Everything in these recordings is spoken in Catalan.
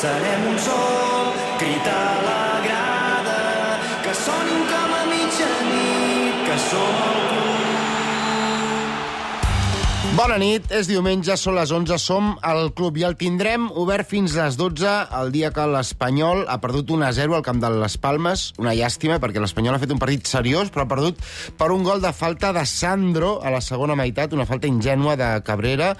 serem un sol, crit a la grada, que sonin com a mitjanit, que som el club. Bona nit, és diumenge, són les 11, som al club i el tindrem obert fins les 12, el dia que l'Espanyol ha perdut 1-0 al camp de les Palmes. Una llàstima, perquè l'Espanyol ha fet un partit seriós, però ha perdut per un gol de falta de Sandro a la segona meitat, una falta ingènua de Cabrera,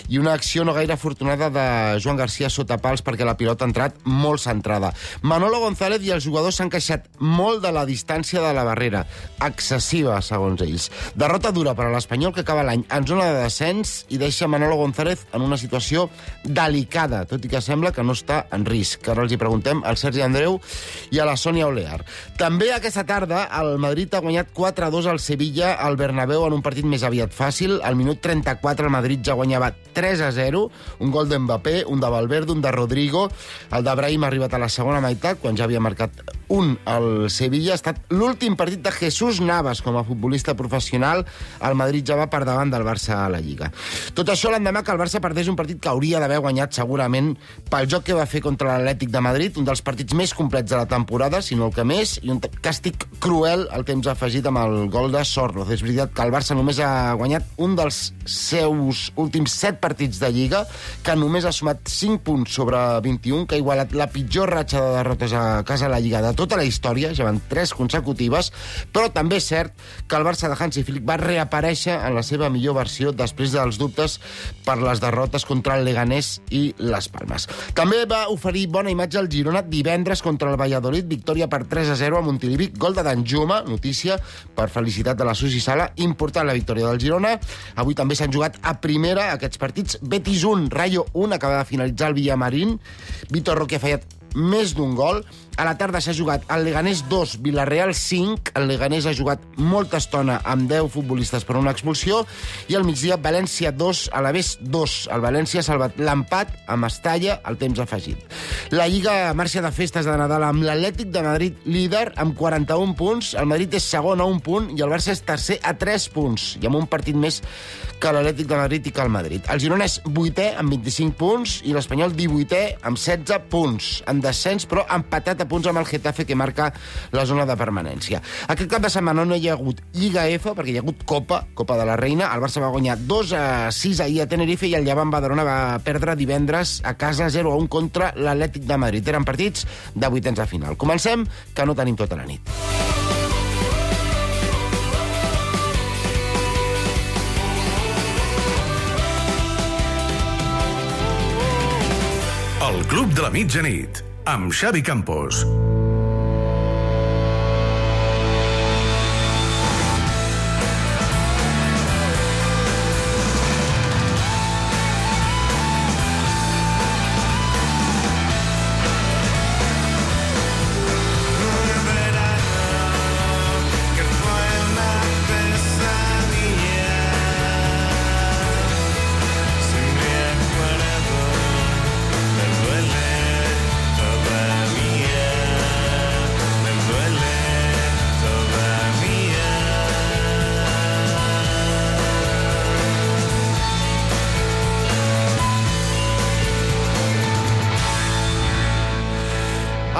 i una acció no gaire afortunada de Joan García sota pals, perquè la pilota ha entrat molt centrada. Manolo González i els jugadors s'han queixat molt de la distància de la barrera, excessiva, segons ells. Derrota dura per a l'Espanyol, que acaba l'any en zona de descens i deixa Manolo González en una situació delicada, tot i que sembla que no està en risc. Ara els hi preguntem al Sergi Andreu i a la Sònia Olear. També aquesta tarda el Madrid ha guanyat 4-2 al Sevilla al Bernabéu en un partit més aviat fàcil. Al minut 34 el Madrid ja guanyava 3-0, un gol d'Mbappé, un de Valverde, un de Rodrigo. El de Brahim ha arribat a la segona meitat, quan ja havia marcat un al Sevilla. Ha estat l'últim partit de Jesús Navas com a futbolista professional. El Madrid ja va per davant del Barça a la Lliga. Tot això l'endemà que el Barça perdés un partit que hauria d'haver guanyat segurament pel joc que va fer contra l'Atlètic de Madrid, un dels partits més complets de la temporada, si no el que més, i un càstig cruel al temps afegit amb el gol de Sorloz. És veritat que el Barça només ha guanyat un dels seus últims 7 partits de Lliga, que només ha sumat 5 punts sobre 21, que ha igualat la pitjor ratxa de derrotes a casa a la Lliga de tota la història, ja van 3 consecutives, però també és cert que el Barça de Hansi Flick va reaparèixer en la seva millor versió després dels dubtes per les derrotes contra el Leganés i les Palmes. També va oferir bona imatge al Girona divendres contra el Valladolid, victòria per 3-0 a Montilivi, gol de Danjuma, notícia per felicitat de la Susi Sala, important la victòria del Girona. Avui també s'han jugat a primera aquests partits. Betis 1, Rayo 1, acaba de finalitzar el Villamarín. Vitor Roque ha fallat més d'un gol. A la tarda s'ha jugat el Leganés 2, Villarreal 5. El Leganés ha jugat molta estona amb 10 futbolistes per una expulsió. I al migdia, València 2, Alavés 2. El València ha salvat l'empat a Mestalla al temps afegit. La Lliga marxa de festes de Nadal amb l'Atlètic de Madrid líder amb 41 punts. El Madrid és segon a 1 punt i el Barça és tercer a 3 punts. I amb un partit més que l'Atlètic de Madrid i que el Madrid. El Girona és 8è amb 25 punts i l'Espanyol 18è amb 16 punts. En descens, però empatat a punts amb el Getafe, que marca la zona de permanència. Aquest cap de setmana no hi ha hagut Lliga F, perquè hi ha hagut Copa de la Reina. El Barça va guanyar 2-6 ahir a Tenerife i el Llevant Badalona va perdre divendres a casa 0-1 contra l'Atlètic de Madrid. Eren partits de vuitens de final. Comencem, que no tenim tota la nit. El Club de la Mitjanit, amb Xavi Campos.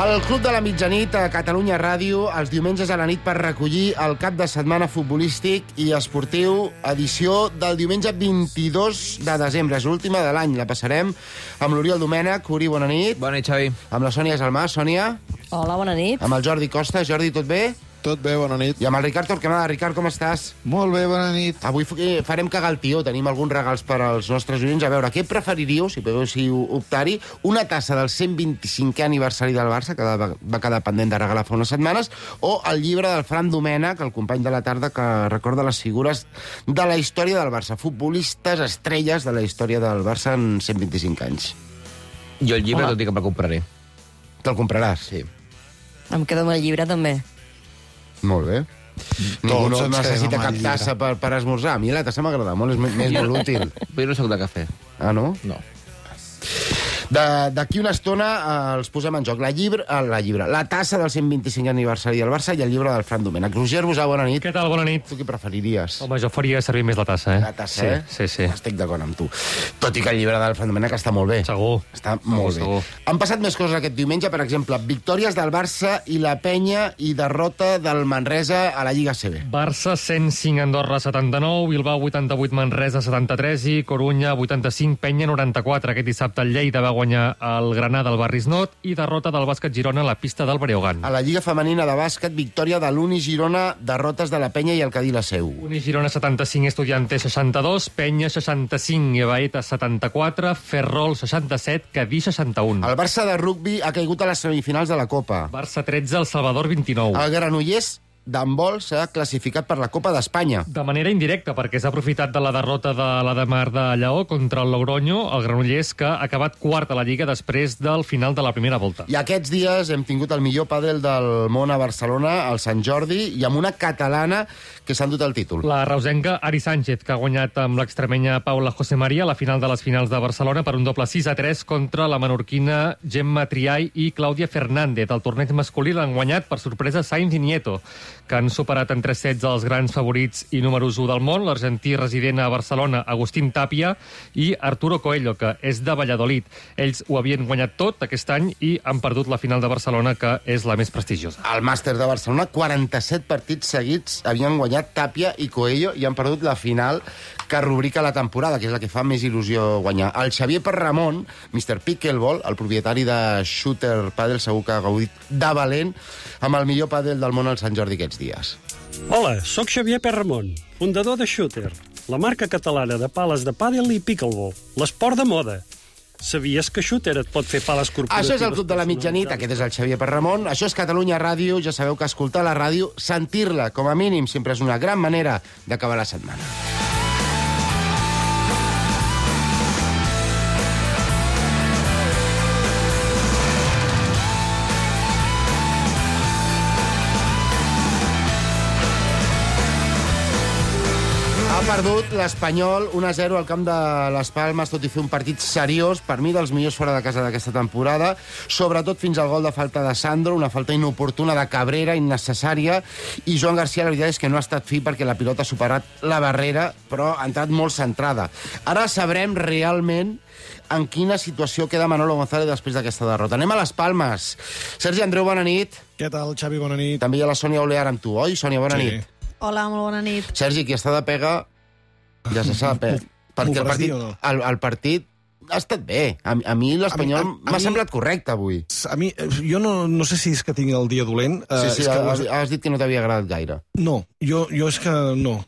El Club de la Mitjanit a Catalunya Ràdio, els diumenges a la nit per recollir el cap de setmana futbolístic i esportiu, edició del diumenge 22 de desembre. És l'última de l'any, la passarem amb l'Oriol Domènech. Uri, bona nit. Bona nit, Xavi. Amb la Sònia Salmà. Sònia. Hola, bona nit. Amb el Jordi Costa. Jordi, tot bé? Tot bé, bona nit. I amb el Ricard Torquemada. Ricard, com estàs? Molt bé, bona nit. Avui farem cagar el tió. Tenim alguns regals per als nostres oients. A veure, què preferiríeu, si podeu optar-hi? Una tassa del 125è aniversari del Barça, que va quedar pendent de regalar fa unes setmanes, o el llibre del Fran Domènech, el company de la tarda, que recorda les figures de la història del Barça. Futbolistes, estrelles de la història del Barça en 125 anys. Jo el llibre, tot i que me'l compraré. Te'l compraràs? Sí. Em quedo amb el llibre, també. Molt bé. Ningú no ens necessita quedem amb cap el tassa per esmorzar. A mi la tassa m'agrada molt, és més molt útil. Però jo no soc de cafè. Ah, no? No. D'aquí una estona els posem en joc la tassa del 125 aniversari del Barça i el llibre del Fran Domènech. Roger Busà, bona nit. Què tal? Bona nit. Tu què preferiries? Home, jo faria servir més la tassa, La tassa, Sí. Estic d'acord amb tu. Tot i que el llibre del Fran Domènech està molt bé. Segur. Està molt bé. Han passat més coses aquest diumenge, per exemple, victòries del Barça i la Penya i derrota del Manresa a la Lliga CB. Barça 105, Andorra 79, Bilbao 88, Manresa 73 i Corunya 85, Penya 94. Aquest dissabte el Lleida va guanyar el Granada al Barris Not i derrota del Bàsquet Girona a la pista del Breogán. A la Lliga Femenina de Bàsquet, victòria de l'Uni Girona, derrotes de la Penya i el Cadí la Seu. Uni Girona 75, Estudiantes 62, Penya 65, Ebaeta 74, Ferrol 67, Cadí 61. El Barça de rugbi ha caigut a les semifinals de la Copa. Barça 13, El Salvador 29. El Granollers d'handbol s'ha classificat per la Copa d'Espanya. De manera indirecta, perquè s'ha aprofitat de la derrota de l'Ademar de Lleó contra el Logroño, el Granollers, que ha acabat quart a la Lliga després del final de la primera volta. I aquests dies hem tingut el millor pàdel del món a Barcelona, al Sant Jordi, i amb una catalana que s'ha endut el títol. La reusenca Ari Sánchez, que ha guanyat amb l'extremenya Paula José María a la final de les finals de Barcelona per un doble 6-3 contra la menorquina Gemma Triay i Clàudia Fernández. El torneig masculí l'han guanyat per sorpresa Sainz i Nieto, que han superat en 3 sets els grans favorits i números 1 del món, l'argentí resident a Barcelona, Agustín Tapia, i Arturo Coelho, que és de Valladolid. Ells ho havien guanyat tot aquest any i han perdut la final de Barcelona, que és la més prestigiosa. Al màster de Barcelona, 47 partits seguits havien guanyat Tapia i Coelho i han perdut la final que rubrica la temporada, que és la que fa més il·lusió guanyar. El Xavier Perramon, Mr. Pickleball, el propietari de Shooter Padel, segur que ha gaudit de valent amb el millor pàdel del món al Sant Jordi aquests dies. Hola, sóc Xavier Perramon, fundador de Shooter, la marca catalana de pales de pàdel i pickleball, l'esport de moda. Sabies que Shooter et pot fer pales corporatives? Això és el Club de la Mitjanit, aquest és el Xavier Perramon, això és Catalunya Ràdio, ja sabeu que escoltar la ràdio, sentir-la, com a mínim, sempre és una gran manera d'acabar la setmana. Ha perdut l'Espanyol 1-0 al camp de les Palmes, tot i fer un partit seriós, per mi dels millors fora de casa d'aquesta temporada, sobretot fins al gol de falta de Sandro, una falta inoportuna de Cabrera, innecessària, i Joan García, la veritat és que no ha estat fi perquè la pilota ha superat la barrera, però ha entrat molt centrada. Ara sabrem realment en quina situació queda Manolo González després d'aquesta derrota. Anem a les Palmes. Sergi Andreu, bona nit. Què tal, Xavi? Bona nit. També hi ha la Sònia Olear amb tu, oi? Sònia, bona nit. Hola, molt bona nit. Sergi, qui està de pega, ja se sap, perquè el partit ha estat bé. A mi l'Espanyol m'ha semblat correcte avui. A mi, jo no sé si és que tinc el dia dolent. Sí, has dit que no t'havia agradat gaire. No, jo és que no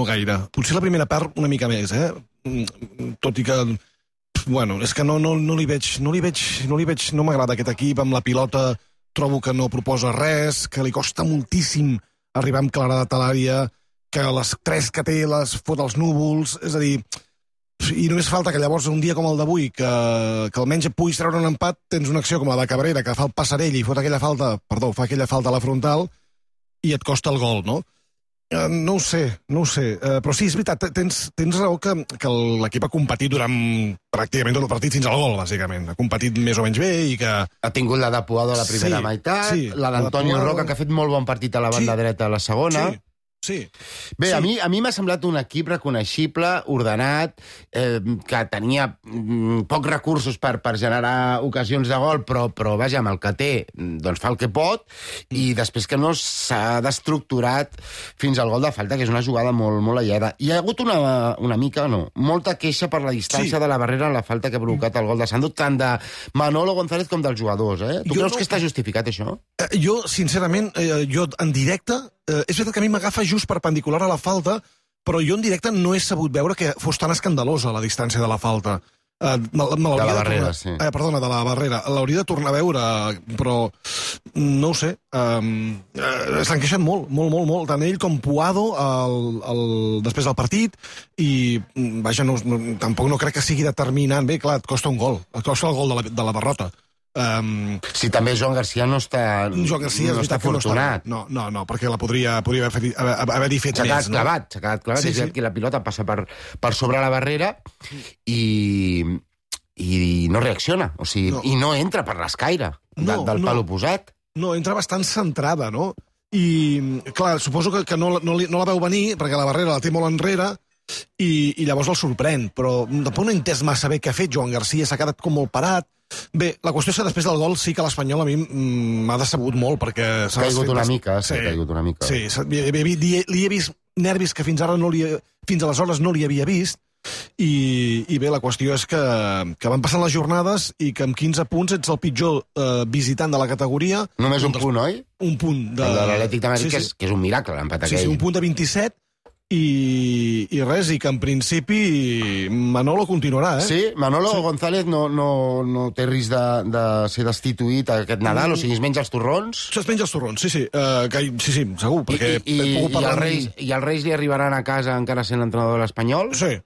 gaire. Potser la primera part una mica més, tot i que... Bueno, és que no m'agrada aquest equip amb la pilota, trobo que no proposa res, que li costa moltíssim arribar amb claredat a l'àrea, que les 3 que té les fot als núvols, és a dir, i només falta que llavors un dia com el d'avui, que almenys puguis treure un empat, tens una acció com la de Cabrera, que fa el passarell i fa aquella falta a la frontal, i et costa el gol, no? No ho sé, però sí, és veritat, tens raó que l'equip ha competit durant pràcticament tot el partit fins al gol, bàsicament. Ha competit més o menys bé i que... Ha tingut la de Puado a la primera meitat, la d'Antonio Roca, que ha fet molt bon partit a la banda dreta a la segona. Sí. Bé, a mi m'ha semblat un equip reconeixible, ordenat, que tenia pocs recursos per generar ocasions de gol, però vaja, amb el que té, doncs fa el que pot, i després que no s'ha d'estructurat fins al gol de falta, que és una jugada molt, molt aïllada. Hi ha hagut molta queixa per la distància de la barrera en la falta que ha provocat el gol de Sandro, tant de Manolo González com dels jugadors. Tu creus que està justificat, això? Jo, sincerament, en directe... És veritat que a mi m'agafa just perpendicular a la falta, però jo en directe no he sabut veure que fos tan escandalosa la distància de la falta. De la barrera, sí. Perdona, de la barrera. L'hauria de tornar a veure, però no ho sé. S'han queixat molt. Tant ell com Puado després del partit, i vaja, tampoc no crec que sigui determinant. Bé, clar, et costa un gol. Et costa el gol de la derrota. Sí, també Joan García no està afortunat. No, perquè la podria haver-hi fet més. S'ha quedat clavat. És que la pilota passa per sobre la barrera i i no reacciona, o sigui, i no entra per l'escaire del pal oposat. No, entra bastant centrada, no? I, clar, suposo que no la veu venir, perquè la barrera la té molt enrere, i llavors el sorprèn, però tampoc no he entès massa bé què ha fet Joan Garcia, s'ha quedat com molt parat. Bé, la qüestió és que després del gol sí que l'Espanyol a mi m'ha decebut molt, perquè... S'ha caigut una mica, Sí, li he vist nervis que fins aleshores no li havia vist, i bé, la qüestió és que van passant les jornades i que amb 15 punts ets el pitjor visitant de la categoria. Només un punt, oi? Un punt. De l'Atlètic de Madrid, que és un miracle, l'empat aquell. Sí, un punt de 27, i res, i que en principi Manolo continuarà, eh? Sí, Manolo González no té risc de ser destituït aquest Nadal, o sigui, es menja els torrons? Es menja els torrons, sí, segur, perquè I els Reis li arribaran a casa encara sent l'entrenador de l'Espanyol? Sí,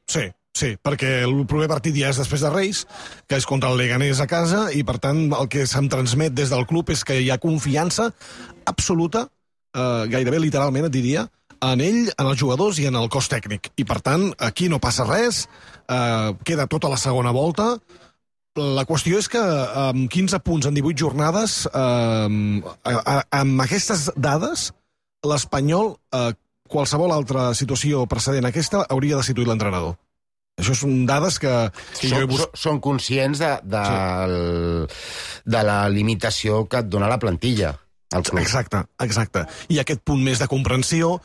perquè el proper partit ja és després de Reis, que és contra el Leganés a casa, i per tant el que se'm transmet des del club és que hi ha confiança absoluta, gairebé literalment et diria, en ell, en els jugadors i en el cos tècnic. I, per tant, aquí no passa res, queda tota la segona volta. La qüestió és que amb 15 punts en 18 jornades, amb aquestes dades, l'Espanyol, qualsevol altra situació precedent a aquesta, hauria destituït l'entrenador. Això són dades que jo he buscat. Són conscients de la limitació que et dona la plantilla. Exacte. I aquest punt més de comprensió,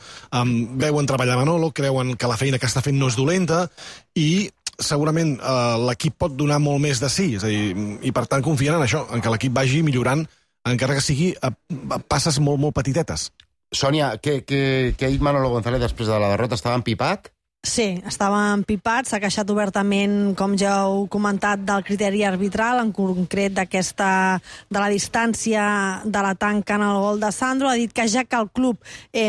veuen treballar Manolo, creuen que la feina que està fent no és dolenta, i segurament l'equip pot donar molt més de sí, és a dir, i per tant confien en això, en que l'equip vagi millorant, encara que sigui a passes molt, molt petitetes. Sònia, què ha dit Manolo González després de la derrota? Estava empipat? Sí, estava empipat, s'ha queixat obertament, com ja heu comentat, del criteri arbitral, en concret de la distància de la tanca en el gol de Sandro. Ha dit que ja que el club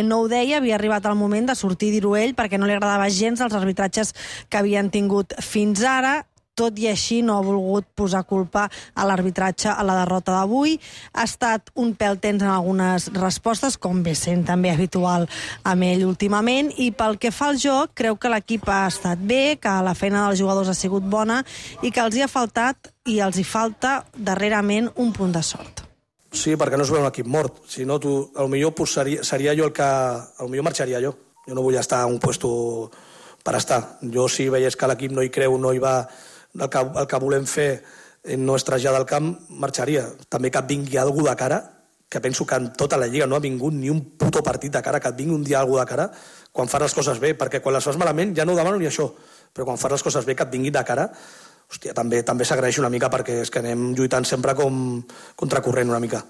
no ho deia, havia arribat el moment de sortir i dir-ho ell, perquè no li agradava gens els arbitratges que havien tingut fins ara. Tot i així no ha volgut posar culpa a l'arbitratge a la derrota d'avui. Ha estat un pèl tens en algunes respostes, com ve sent també habitual amb ell últimament, i pel que fa al joc, creu que l'equip ha estat bé, que la feina dels jugadors ha sigut bona i que els hi ha faltat i els hi falta darrerament un punt de sort. Sí, perquè no es veu un equip mort. Si no, potser seria jo el que... Potser marxaria jo. Jo no vull estar a un puesto per estar. Jo, si veiés que l'equip no hi creu, no hi va... El que volem fer no és traslladar al camp, marxaria. També que et vingui algú de cara, que penso que en tota la Lliga no ha vingut ni un puto partit de cara, que et vingui un dia algú de cara, quan fas les coses bé, perquè quan les fas malament ja no ho demano ni això, però quan fas les coses bé que et vingui de cara, hòstia, també s'agraeix una mica, perquè és que anem lluitant sempre com contracorrent una mica.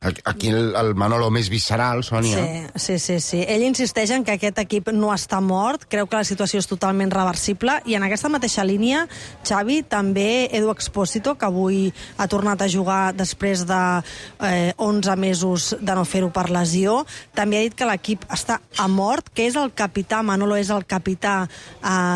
Aquí el Manolo més visceral, Sònia. Sí. Ell insisteix en que aquest equip no està mort, creu que la situació és totalment reversible, i en aquesta mateixa línia, Xavi, també Edu Expósito, que avui ha tornat a jugar després de 11 mesos de no fer-ho per lesió, també ha dit que l'equip està a mort, que és el capità, Manolo és el capità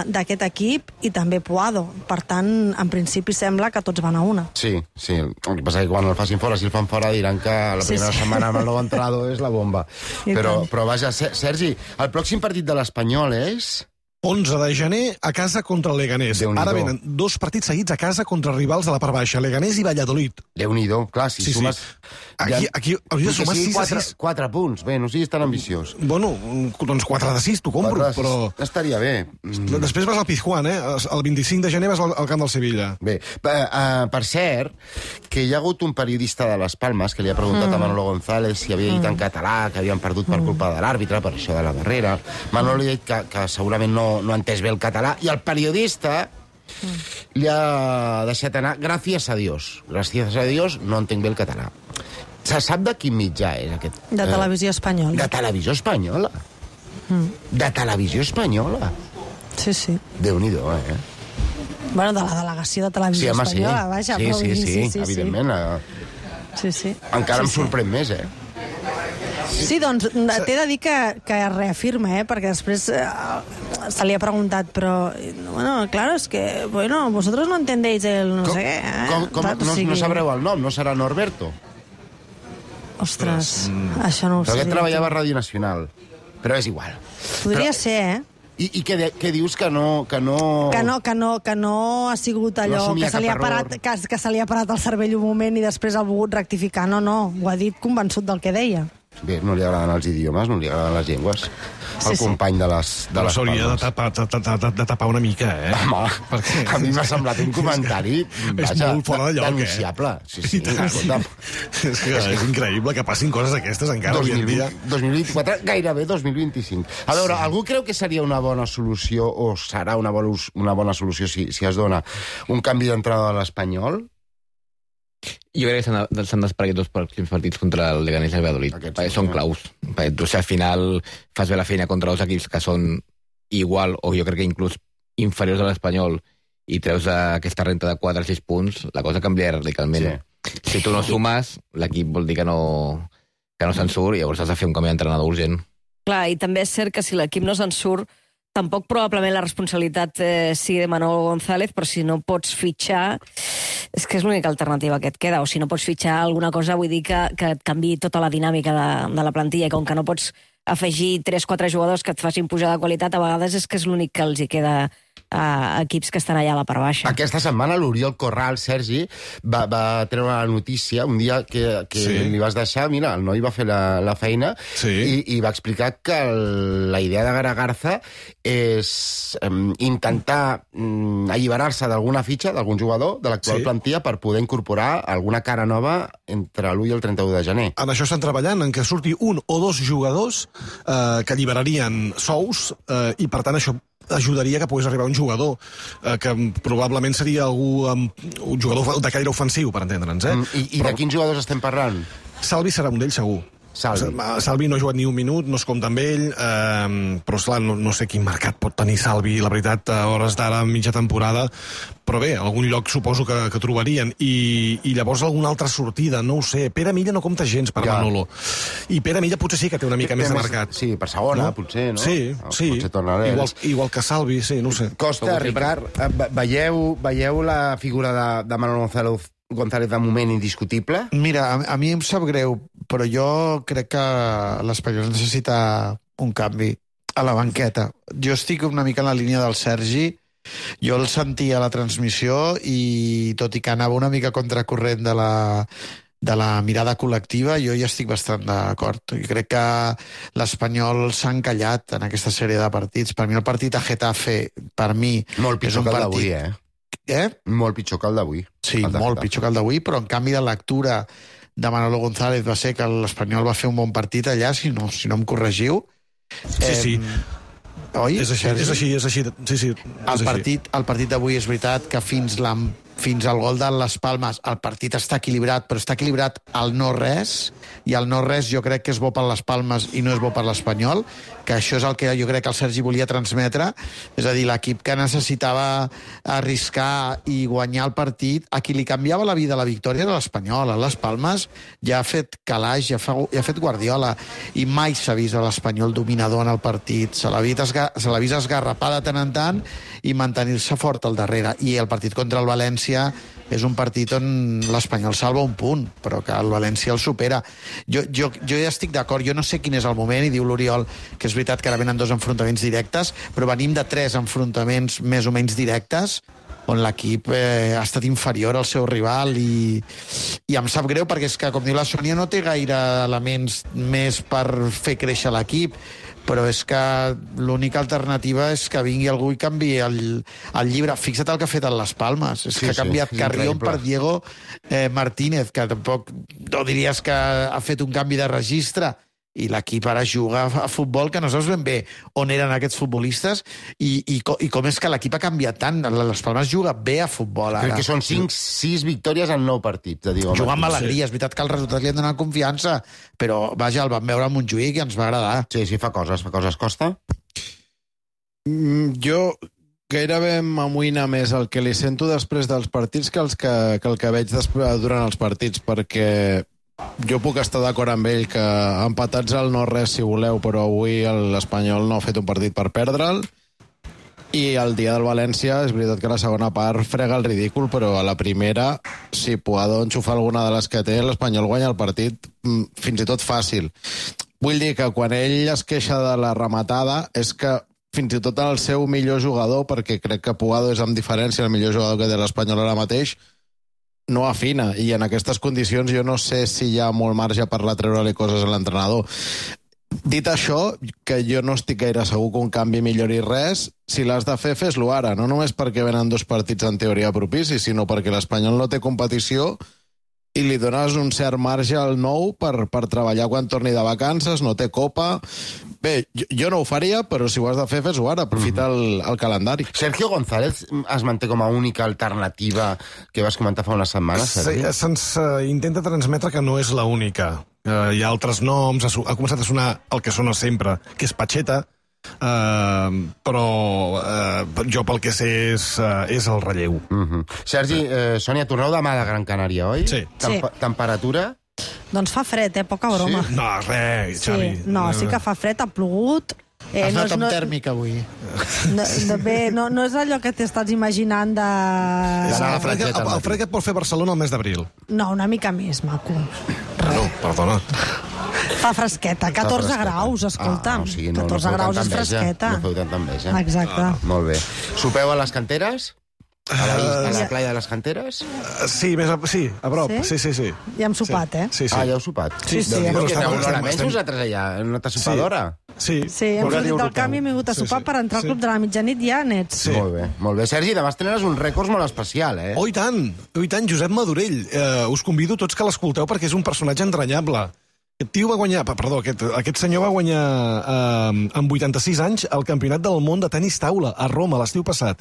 d'aquest equip, i també Puado. Per tant, en principi sembla que tots van a una. Sí. El que passa és que quan el facin fora, si el fan fora, diran que la primera setmana amb el nou entrenador és la bomba. Però vaja, Sergi, el pròxim partit de l'Espanyol és... 11 de gener a casa contra el Leganés. Ara venen 2 partits seguits a casa contra rivals de la part baixa, Leganés i Valladolid. Déu-n'hi-do, clar, si sumes... Aquí hauries de sumar 6 a 6. 4 punts, bé, no siguis tan ambiciós. Bueno, doncs 4 de 6 t'ho compro, però... Estaria bé. Després vas al Pizjuán, El 25 de gener vas al camp del Sevilla. Bé, per cert, que hi ha hagut un periodista de Les Palmes que li ha preguntat a Manolo González si havia dit en català que havien perdut per culpa de l'àrbitre, per això de la barrera. Manolo li ha dit que segurament no ha entès bé el català, i el periodista li ha deixat anar gràcies a Dios. Gràcies a Dios no entenc bé el català. Se sap de quin mitjà és aquest? De Televisió Espanyola. De Televisió Espanyola? De Televisió Espanyola? Sí. Déu-n'hi-do, Bueno, de la delegació de Televisió Espanyola, vaja. Sí, evidentment. Sí. Encara em sorprèn més, Sí, doncs t'he de dir que reafirma, perquè després se li ha preguntat, però, bueno, claro, es que, bueno, vosotros no entendéis el no sé què. No sabreu el nom, no serà Norberto? Ostres, això no ho sé. Però aquest treballava a Ràdio Nacional, però és igual. Podria ser, I què dius que no... Que no ha sigut allò que se li ha parat el cervell un moment i després ha volgut rectificar. No, ho ha dit convençut del que deia. Bé, no li agraden els idiomes, no li agraden les llengües. El company de les s'hauria de tapar una mica, Home, perquè... a mi m'ha semblat un comentari... És molt fora de lloc, denunciable. Sí, escolta'm. És que és increïble que passin coses aquestes encara avui en dia. 2024, gairebé 2025. A veure, algú creu que seria una bona solució, o serà una bona solució si es dona un canvi d'entrada de l'Espanyol? Jo crec que s'han d'esperar aquests dos pròxims partits contra el Leganés i el Valladolid. Són claus. Tu, si al final fas bé la feina contra dos equips que són igual, o jo crec que inclús inferiors a l'Espanyol, i treus aquesta renta de 4 o 6 punts, la cosa canvia radicalment. Sí. Si tu no sumes, l'equip vol dir que no se'n surt, i llavors has de fer un canvi d'entrenador urgent. Clar, i també és cert que si l'equip no se'n surt, tampoc probablement la responsabilitat sigui de Manolo González, però si no pots fitxar, és que és l'única alternativa que et queda, o si no pots fitxar alguna cosa, vull dir que et canviï tota la dinàmica de la plantilla, i com que no pots afegir 3-4 jugadors que et facin pujar de qualitat, a vegades és que és l'únic que els hi queda a equips que estan allà a la part baixa. Aquesta setmana l'Oriol Corral, Sergi, va treure la notícia un dia que li vas deixar, mira, el noi va fer la feina i va explicar que la idea de Gara Garza és intentar alliberar-se d'alguna fitxa, d'algun jugador de l'actual plantilla per poder incorporar alguna cara nova entre l'1 i el 31 de gener. En això estan treballant, en que surti un o dos jugadors que alliberarien sous i, per tant, això ajudaria que pogués arribar un jugador que probablement seria un jugador de caire ofensiu, per entendre'ns. I de quins jugadors estem parlant? Salvi serà un d'ells, segur. Salvi no ha jugat ni un minut, no es compta amb ell, però esclar, no sé quin mercat pot tenir Salvi, la veritat, a hores d'ara, mitja temporada, però bé, algun lloc suposo que trobarien, i llavors alguna altra sortida, no ho sé. Pere Milla no compta gens per Manolo, i Pere Milla potser sí que té una mica més de mercat. Sí, per segona, potser, no? Sí, igual que Salvi, sí, no ho sé. Costa, Ricard, veieu la figura de Manolo González de moment indiscutible? Mira, a mi em sap greu, però jo crec que l'Espanyol necessita un canvi a la banqueta. Jo estic una mica en la línia del Sergi. Jo el sentia a la transmissió i, tot i que anava una mica contracorrent de la mirada col·lectiva, jo hi estic bastant d'acord. Jo crec que l'Espanyol s'ha encallat en aquesta sèrie de partits. Per mi el partit a Getafe, per mi, molt pitjor que el d'avui, Molt pitjor que el d'avui. Sí, molt pitjor que el d'avui, però en canvi la lectura de Manolo González va ser que l'Espanyol va fer un bon partit allà, si no em corregiu. Sí. Oi? És així. Sí, el partit d'avui és veritat que fins al gol de les Palmes el partit està equilibrat, però està equilibrat al no-res, i el no-res jo crec que és bo per les Palmes i no és bo per l'Espanyol, que això és el que jo crec que el Sergi volia transmetre, és a dir, l'equip que necessitava arriscar i guanyar el partit, a qui li canviava la vida la victòria era l'Espanyol. A les Palmes ja ha fet calaix, ja ha fet Guardiola, i mai s'ha vist a l'Espanyol dominador en el partit. Se l'ha vist esgarrapar de tant en tant i mantenir-se fort al darrere. I el partit contra el València és un partit on l'Espanyol salva un punt, però que el València el supera. Jo ja estic d'acord, jo no sé quin és el moment, i diu l'Oriol que és veritat que ara venen 2 enfrontaments directes, però venim de 3 enfrontaments més o menys directes, on l'equip ha estat inferior al seu rival, i em sap greu perquè és que, com diu la Sònia, no té gaire elements més per fer créixer l'equip, però és que l'única alternativa és que vingui algú i canviï el llibre. Fixa't el que ha fet a les Palmes, és que ha canviat Carrión per Diego Martínez, que tampoc no diries que ha fet un canvi de registre, i l'equip ara juga a futbol que no saps ben bé on eren aquests futbolistes i com és que l'equip ha canviat tant. Les Palmes juga bé a futbol ara. Crec que són 6 victòries en 9 partits. Juga amb alegria, és veritat que el resultat li han donat confiança, però vaja, el vam veure a Montjuïc i ens va agradar. Sí, fa coses. Costa? Jo gairebé m'amoïna més el que li sento després dels partits que el que veig durant els partits, perquè jo puc estar d'acord amb ell que empatats al no-res si voleu, però avui l'Espanyol no ha fet un partit per perdre'l, i el dia del València és veritat que la segona part frega el ridícul, però a la primera, si Puado enxufa alguna de les que té, l'Espanyol guanya el partit fins i tot fàcil. Vull dir que quan ell es queixa de la rematada és que fins i tot el seu millor jugador, perquè crec que Pugado és amb diferència el millor jugador que té l'Espanyol ara mateix, no afina, i en aquestes condicions jo no sé si hi ha molt marge per treure-li coses a l'entrenador. Dit això, que jo no estic gaire segur que un canvi millori res, si l'has de fer, fes-lo ara, no només perquè venen 2 partits en teoria propicis, sinó perquè l'Espanyol no té competició i li dones un cert marge al nou per treballar quan torni de vacances, no té copa. Bé, jo no ho faria, però si ho has de fer, fes-ho ara, aprofita el calendari. Sergio González es manté com a única alternativa que vas comentar fa unes setmanes, Sergi? Se'ns intenta transmetre que no és l'única. Hi ha altres noms, ha començat a sonar el que sona sempre, que és Pacheta, però jo pel que sé és el relleu. Sergi, Sònia, torneu demà de Gran Canària, oi? Sí. Temperatura? Doncs fa fred, poca broma. Sí? No, res, Xavi. No, sí que fa fred, ha plogut. Has anat amb tèrmic avui. No és allò que t'estàs imaginant de... El fred que et pot fer Barcelona el mes d'abril. No, una mica més, maco. No, perdona. Fa fresqueta, 14 graus, escolta'm. 14 graus és fresqueta. No feu tanta enveja. Exacte. Molt bé. Sopeu a les canteres? A la playa de les Canteres? Sí, a prop. Sí. Ja hem sopat, eh? Sí. Ah, ja heu sopat? Sí. Una més vosaltres allà, en una sopadora? Sí, hem sortit del canvi i hem vingut a sopar per entrar al club de la mitjanit ja nets. Sí. Molt bé. Sergi, demà estrenes un rècord molt especial, eh? Oh, i tant, Josep Madurell. Us convido tots que l'escolteu perquè és un personatge entranyable. Aquest tio va guanyar, aquest senyor va guanyar amb 86 anys el Campionat del Món de tenis taula a Roma l'estiu passat.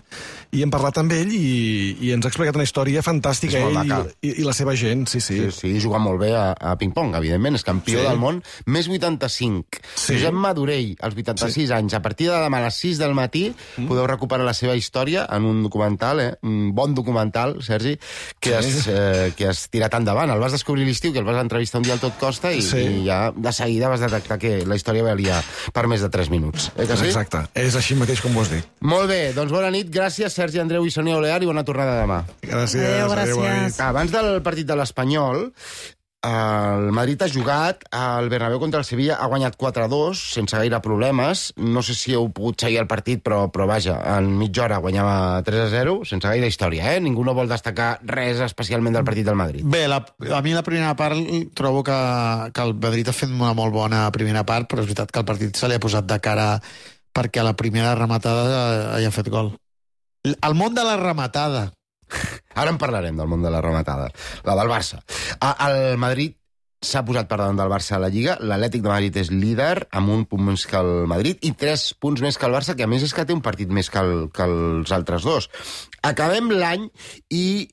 I hem parlat amb ell i ens ha explicat una història fantàstica, ell i la seva gent, sí. Sí, juga molt bé a ping-pong, evidentment, és campió del món, més 85. Sí. Josep Madurell, als 86 anys, a partir de demà a les 6 del matí podeu recuperar la seva història en un documental, un bon documental, Sergi, que has tirat endavant. El vas descobrir l'estiu, que el vas entrevistar un dia al Tot Costa i ja de seguida vas detectar que la història valia per més de 3 minuts. Que sí? Exacte, és així mateix com ho has dit. Molt bé, doncs bona nit, gràcies Sergi Andreu i Sònia Olear i bona tornada demà. Gràcies. Abans del partit de l'Espanyol, el Madrid ha jugat al Bernabéu contra el Sevilla, ha guanyat 4-2 sense gaire problemes. No sé si heu pogut seguir el partit, però vaja, en mitja hora guanyava 3-0 sense gaire història, eh? Ningú no vol destacar res especialment del partit del Madrid. Bé, a mi la primera part trobo que el Madrid ha fet una molt bona primera part, però és veritat que el partit se li ha posat de cara perquè a la primera rematada ja ha fet gol. El món de la rematada. Ara en parlarem del món de la rematada. La del Barça. El Madrid s'ha posat per davant del Barça a la Lliga. L'Atlètic de Madrid és líder, amb 1 punt més que el Madrid, i 3 punts més que el Barça, que a més és que té un partit més que els altres dos. Acabem l'any i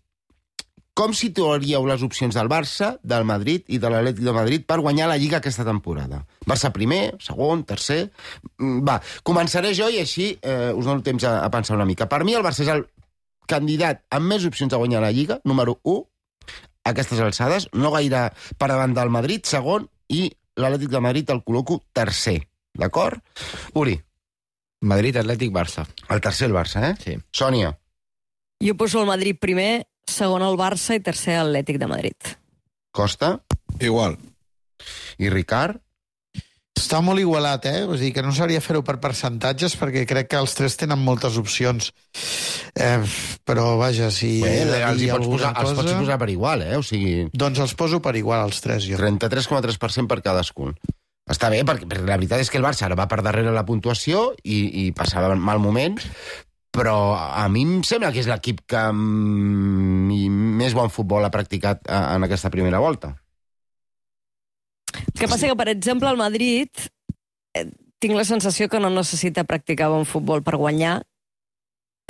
com situaríeu les opcions del Barça, del Madrid i de l'Atlètic de Madrid per guanyar la Lliga aquesta temporada? Barça primer, segon, tercer... Va, començaré jo i així us dono temps a pensar una mica. Per mi el Barça és el candidat amb més opcions a guanyar la Lliga, número 1, a aquestes alçades, no gaire per davant del Madrid, segon, i l'Atlètic de Madrid el col·loco tercer. D'acord? Uri. Madrid, Atlètic, Barça. El tercer el Barça, eh? Sí. Sònia. Jo poso el Madrid primer, segon el Barça i tercer l'Atlètic de Madrid. Costa. Igual. I Ricard. Està molt igualat, eh? Vull dir que no sabria fer-ho per percentatges perquè crec que els 3 tenen moltes opcions. Però, vaja, si... Els pots posar per igual, eh? O sigui... Doncs els poso per igual, els 3, jo. 33,3% per cadascun. Està bé, perquè la veritat és que el Barça ara va per darrere la puntuació i passava mal moment, però a mi em sembla que és l'equip que més bon futbol ha practicat en aquesta primera volta. El que passa que, per exemple, al Madrid tinc la sensació que no necessita practicar bon futbol per guanyar,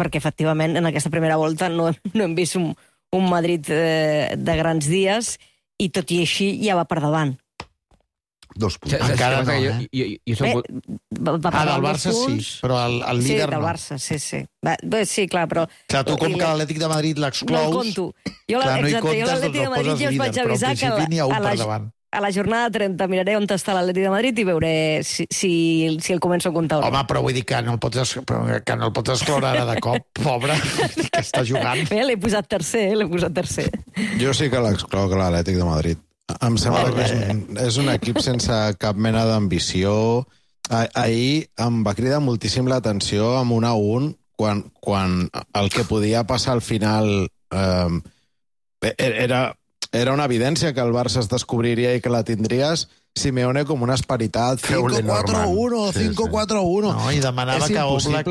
perquè, efectivament, en aquesta primera volta no hem vist un Madrid de grans dies i, tot i així, ja va per davant. 2 punts. Encara no, eh? Del Barça sí, però el líder no. Sí, del Barça, sí. Sí, clar, però... Clar, tu com que l'Atlètic de Madrid l'exclous... No el conto. Jo l'Atlètic de Madrid ja us vaig avisar que a la jornada 30 miraré on està l'Atlètic de Madrid i veuré si el començo a comptar. Home, però vull dir que no el pots excloure ara de cop, pobre, que està jugant. Bé, l'he posat tercer. Jo sí que l'excloc l'Atlètic de Madrid. Em sembla que és un equip sense cap mena d'ambició. Ahir em va cridar moltíssim l'atenció amb 1-1 quan el que podia passar al final era una evidència que el Barça es descobriria i que la tindries. Simeone com una esperitat 5-4-1, 5-4-1. No, i demanava que Oblak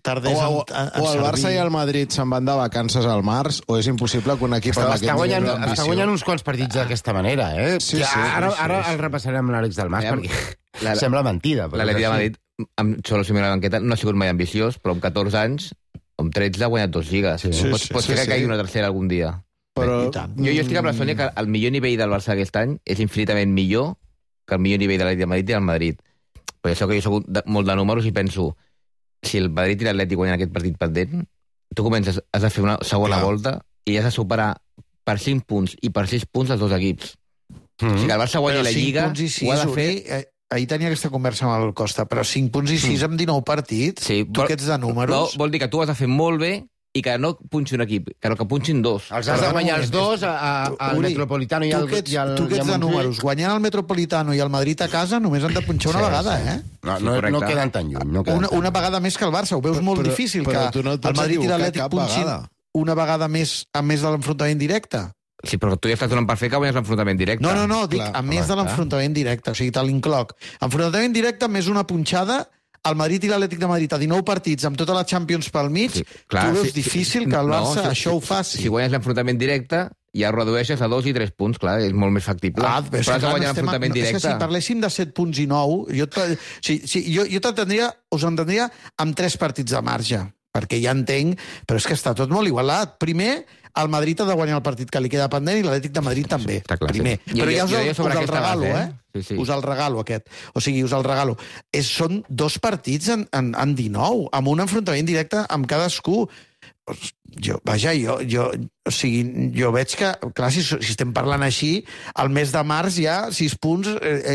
tardés o el Barça i el Madrid se'n van de vacances al març, o és impossible que un equip amb aquest nivell d'ambició... Està guanyant uns quants partits d'aquesta manera, eh? Sí. Ara el repassarem amb l'Àlex del Mas, perquè sembla mentida. L'Atleti de Madrid, amb Xolo Simeone a la banqueta, no ha sigut mai ambiciós, però amb 14 anys, amb 13 ha guanyat 2 lligues. Pot ser que caigui una tercera algun dia. Però jo estic amb la Sònia que el millor nivell del Barça aquest any és infinitament millor que el millor nivell de l'Atleti de Madrid i del Madrid. Per això que jo soc molt de números i penso, si el Madrid i l'Atleti guanyen aquest partit pendent, tu comences, has de fer una segona volta i has de superar per 5 punts i per 6 punts els dos equips. O sigui que el Barça guanya la Lliga, ho ha de fer... Ahir tenia aquesta conversa amb el Costa, però 5 punts i 6 amb 19 partits, tu que ets de números... Vol dir que tu has de fer molt bé i que no punxi un equip, que punxin dos. Els has de guanyar els dos, al Metropolitano i al Montjuïc. Tu que ets de números, guanyant el Metropolitano i el Madrid a casa només han de punxar una vegada, eh? No queden tan lluny. Una vegada més que el Barça, ho veus molt difícil, que el Madrid i l'Atlètic punxin una vegada més a més de l'enfrontament directe. Sí, però tu ja estàs donant per fer que guanyes l'enfrontament directe. No, dic, a més de l'enfrontament directe, o sigui, te l'incloc. Enfrontament directe més una punxada, el Madrid i l'Atlètic de Madrid a 19 partits amb tota la Champions pel mig, tu veus difícil que el Barça això ho faci. Si guanyes l'enfrontament directe, ja redueixes a 2 i 3 punts, clar, és molt més factible. Però has de guanyar l'enfrontament directe. És que si parléssim de 7 punts i 9, us entendria amb 3 partits de marge, perquè ja entenc, però és que està tot molt igualat. Primer, el Madrid ha de guanyar el partit que li queda pendent i l'Atlètic de Madrid també. Primer. Però ja us el regalo, eh? Us el regalo, aquest. O sigui, us el regalo. Són 2 partits en 19, amb un enfrontament directe amb cadascú. Jo veig que, clar, si estem parlant així, al mes de març ja 6 punts,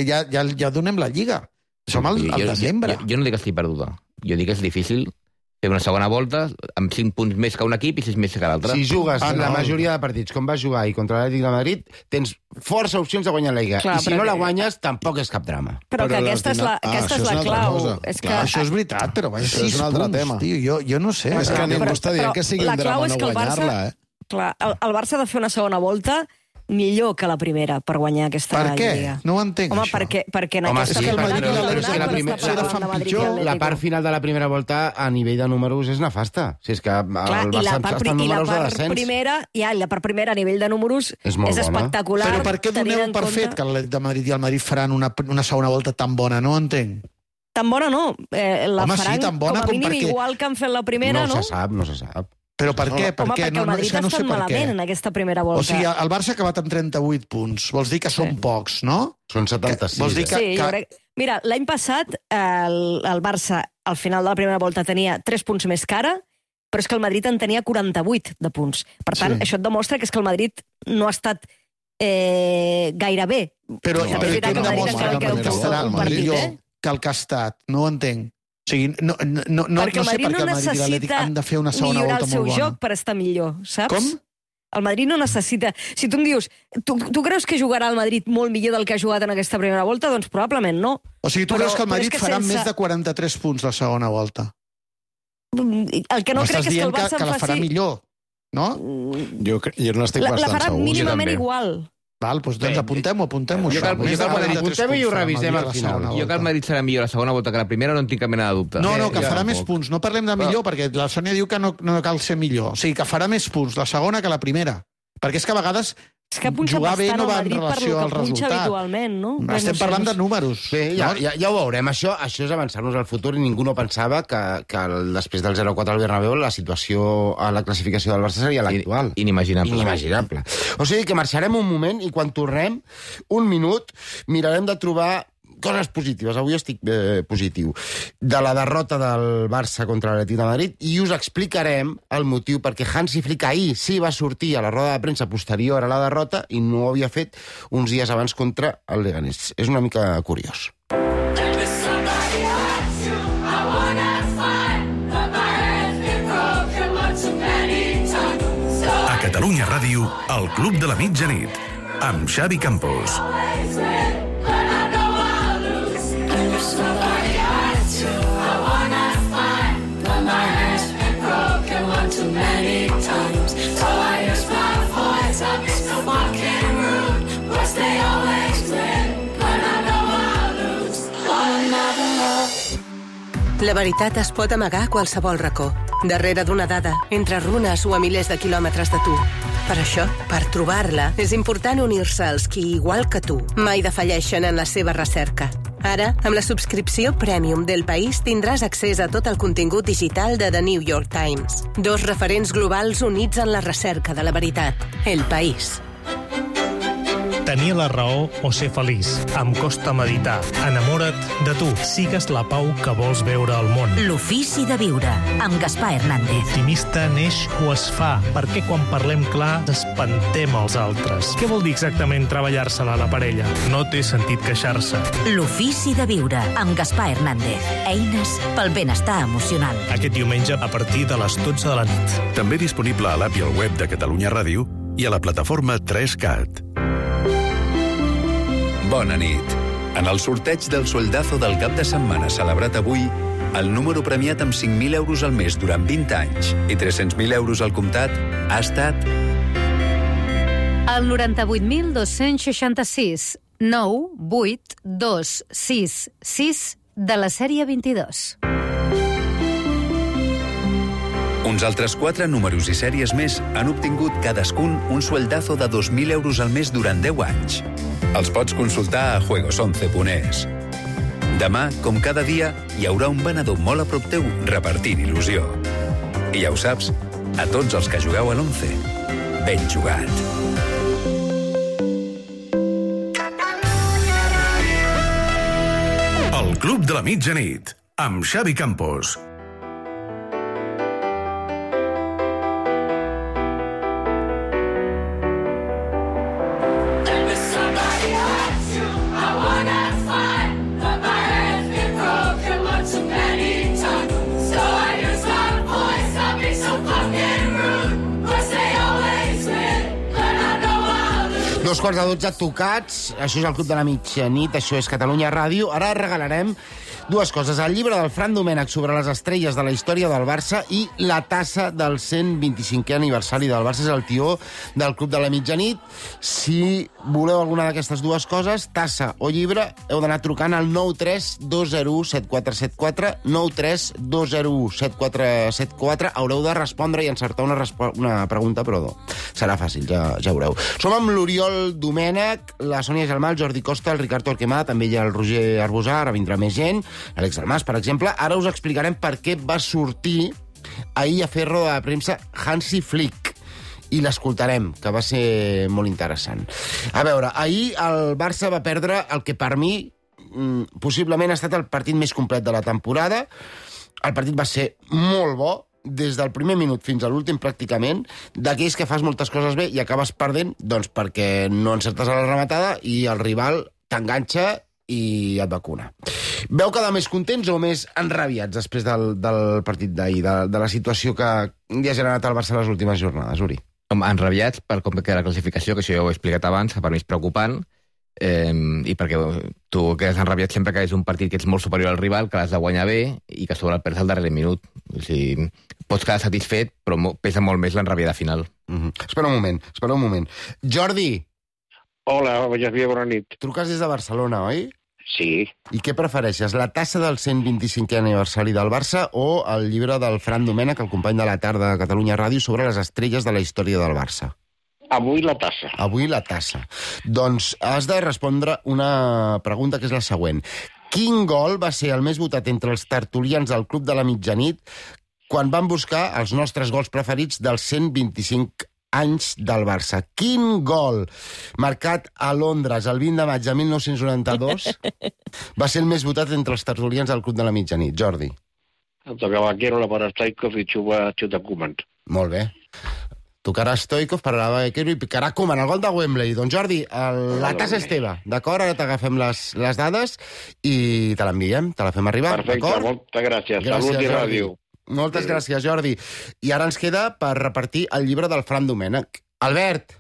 ja donem la Lliga. Som al desembre. Jo no dic que estic perduda. Jo dic que és difícil fer una segona volta amb 5 punts més que un equip i 6 més que l'altre. Si jugues la majoria de partits com vas jugar i contra l'Atlètic de Madrid, tens força opcions de guanyar la Lliga. I si no la guanyes, tampoc és cap drama. Però que aquesta és la clau. Això és veritat, però vaja, 6 punts, tio, jo no sé. És que ningú està dient que sigui un drama no guanyar-la, eh? Clar, el Barça ha de fer una segona volta millor que la primera per guanyar aquesta Lliga. Per què? No ho entenc, això. Perquè en aquesta la part final de la primera volta a nivell de números és nefasta. Si és que el Barça està en números de descens. I la part primera a nivell de números és espectacular. Però per què doneu per fet que el de Madrid i el Madrid faran una segona volta tan bona? No ho entenc. Tan bona no. La faran com a mínim igual que han fet la primera, no? No se sap. Però per què? Perquè el Madrid ha estat malament en aquesta primera volta. O sigui, el Barça ha acabat amb 38 punts. Vols dir que són pocs, no? Són 76. Vols dir que... Mira, l'any passat el Barça al final de la primera volta tenia 3 punts més que ara, però és que el Madrid en tenia 48 de punts. Per tant, això et demostra que és que el Madrid no ha estat gaire bé. Però què demostra que estarà millor que el que ha estat? No ho entenc. O sigui, no sé per què el Madrid i l'Atlètic han de fer una segona volta molt bona. Millorar el seu joc per estar millor, saps? Com? El Madrid no necessita... Si tu em dius, tu creus que jugarà el Madrid molt millor del que ha jugat en aquesta primera volta? Doncs probablement no. O sigui, tu creus que el Madrid farà més de 43 punts la segona volta? El que no crec és que el Barça en faci... que la farà millor, no? Jo no estic bastant segur. La farà mínimament igual. Val, doncs apuntem-ho, apuntem-ho. Apuntem-ho i ho revisem al final. Jo que el Madrid serà millor la segona volta que la primera no en tinc cap mena de dubte. No, que farà més punts. No parlem de millor, perquè la Sònia diu que no cal ser millor. O sigui, que farà més punts la segona que la primera. Perquè és que a vegades jugar bé no va en relació al resultat. No? Estem parlant de números. Sí, ja ho veurem. Això és avançar-nos al futur i ningú no pensava que després del 0-4 al Bernabéu la situació a la classificació del Barça seria l'actual. Inimaginable. O sigui que marxarem un moment i quan tornem, un minut, mirarem de trobar coses positives. Avui estic positiu. De la derrota del Barça contra l'Atlètic de Madrid i us explicarem el motiu perquè Hansi Flick ahir sí va sortir a la roda de premsa posterior a la derrota i no ho havia fet uns dies abans contra el Leganés. És una mica curiós. A Catalunya Ràdio, el Club de la Mitjanit, amb Xavi Campos. Somebody La veritat es pot amagar a qualsevol racó, darrere d'una dada, entre runes o a milers de quilòmetres de tu. Per això, per trobar-la, és important unir-se als qui, igual que tu, mai defalleixen en la seva recerca. Ara, amb la subscripció Premium d'El País, tindràs accés a tot el contingut digital de The New York Times. 2 referents globals units en la recerca de la veritat. El País. Tenir la raó o ser feliç. Em costa meditar. Enamora't de tu. Sigues la pau que vols veure al món. L'ofici de viure, amb Gaspar Hernández. L'optimista neix o es fa? Perquè quan parlem clar espantem els altres? Què vol dir exactament treballar-se-la a la parella? No té sentit queixar-se. L'ofici de viure, amb Gaspar Hernández. Eines pel benestar emocional. Aquest diumenge a partir de les 12 de la nit. També disponible a l'app i al web de Catalunya Ràdio i a la plataforma 3CAT. Bona nit. En el sorteig del sueldazo del cap de setmana celebrat avui, el número premiat amb 5.000 euros al mes durant 20 anys i 300.000 euros al comptat ha estat... El 98.266 98266 de la sèrie 22. Uns altres 4 números i sèries més han obtingut cadascun un sueldazo de 2.000 euros al mes durant 10 anys. Els pots consultar a juegos11.es. Demà, com cada dia, hi haurà un venedor molt a prop teu repartint il·lusió. I ja ho saps, a tots els que jugueu a l'11, ben jugat. El Club de la Mitjanit, amb Xavi Campos. Dos quarts de 12 tocats, això és el Club de la Mitjanit, això és Catalunya Ràdio. Ara regalarem dues coses, el llibre del Fran Domènech sobre les estrelles de la història del Barça i la tassa del 125è aniversari del Barça. És el tió del Club de la Mitjanit. Si voleu alguna d'aquestes dues coses, tassa o llibre, heu d'anar trucant al 932017474, 932017474. Haureu de respondre i encertar una pregunta, però serà fàcil, ja veureu. Som amb l'Oriol Domènech, la Sònia Gelmà, el Jordi Costa, el Ricard Torquemada, també hi ha el Roger Arbusà, ara vindrà més gent, Àlex Dalmas, per exemple. Ara us explicarem per què va sortir ahir a fer roda de premsa Hansi Flick, i l'escoltarem, que va ser molt interessant. A veure, ahir el Barça va perdre el que per mi possiblement ha estat el partit més complet de la temporada. El partit va ser molt bo, des del primer minut fins a l'últim, pràcticament, d'aquells que fas moltes coses bé i acabes perdent, doncs perquè no encertes a la rematada i el rival t'enganxa i et vacuna. Veu quedar més contents o més enrabiats després del partit d'ahir, de la situació que li ha generat el Barça les últimes jornades, Uri? Enrabiats per com queda la classificació, que això ja ho he explicat abans, que per mi és preocupant, i perquè tu quedes enrabiat sempre que és un partit que ets molt superior al rival, que l'has de guanyar bé i que sobre el perds al darrer minut. O sigui, pots quedar satisfet, però pesa molt més l'enrabiada final. Espera un moment. Jordi! Hola, Javier, bona nit. Truques des de Barcelona, oi? Sí. I què prefereixes, la tassa del 125è aniversari del Barça o el llibre del Fran Domènech, el company de la tarda de Catalunya Ràdio, sobre les estrelles de la història del Barça? Avui la tassa. Avui la tassa. Doncs has de respondre una pregunta que és la següent. Quin gol va ser el més votat entre els tertulians del Club de la Mitjanit quan van buscar els nostres gols preferits dels 125 anys del Barça? Quin gol marcat a Londres el 20 de maig de 1992 va ser el més votat entre els tertulians del Club de la Mitjanit? Jordi. Tocava Vaquero, la para Stoikov i xuta Koeman. Molt bé. Tocarà Stoikov, pararà Vaquero i picarà Koeman, el gol de Wembley. Doncs Jordi, la tassa és teva, d'acord? Ara t'agafem les dades i te l'enviem, te la fem arribar, perfecte, d'acord? moltes gràcies. Salut i ràdio. Moltes gràcies, Jordi. I ara ens queda per repartir el llibre del Fran Domènech. Albert.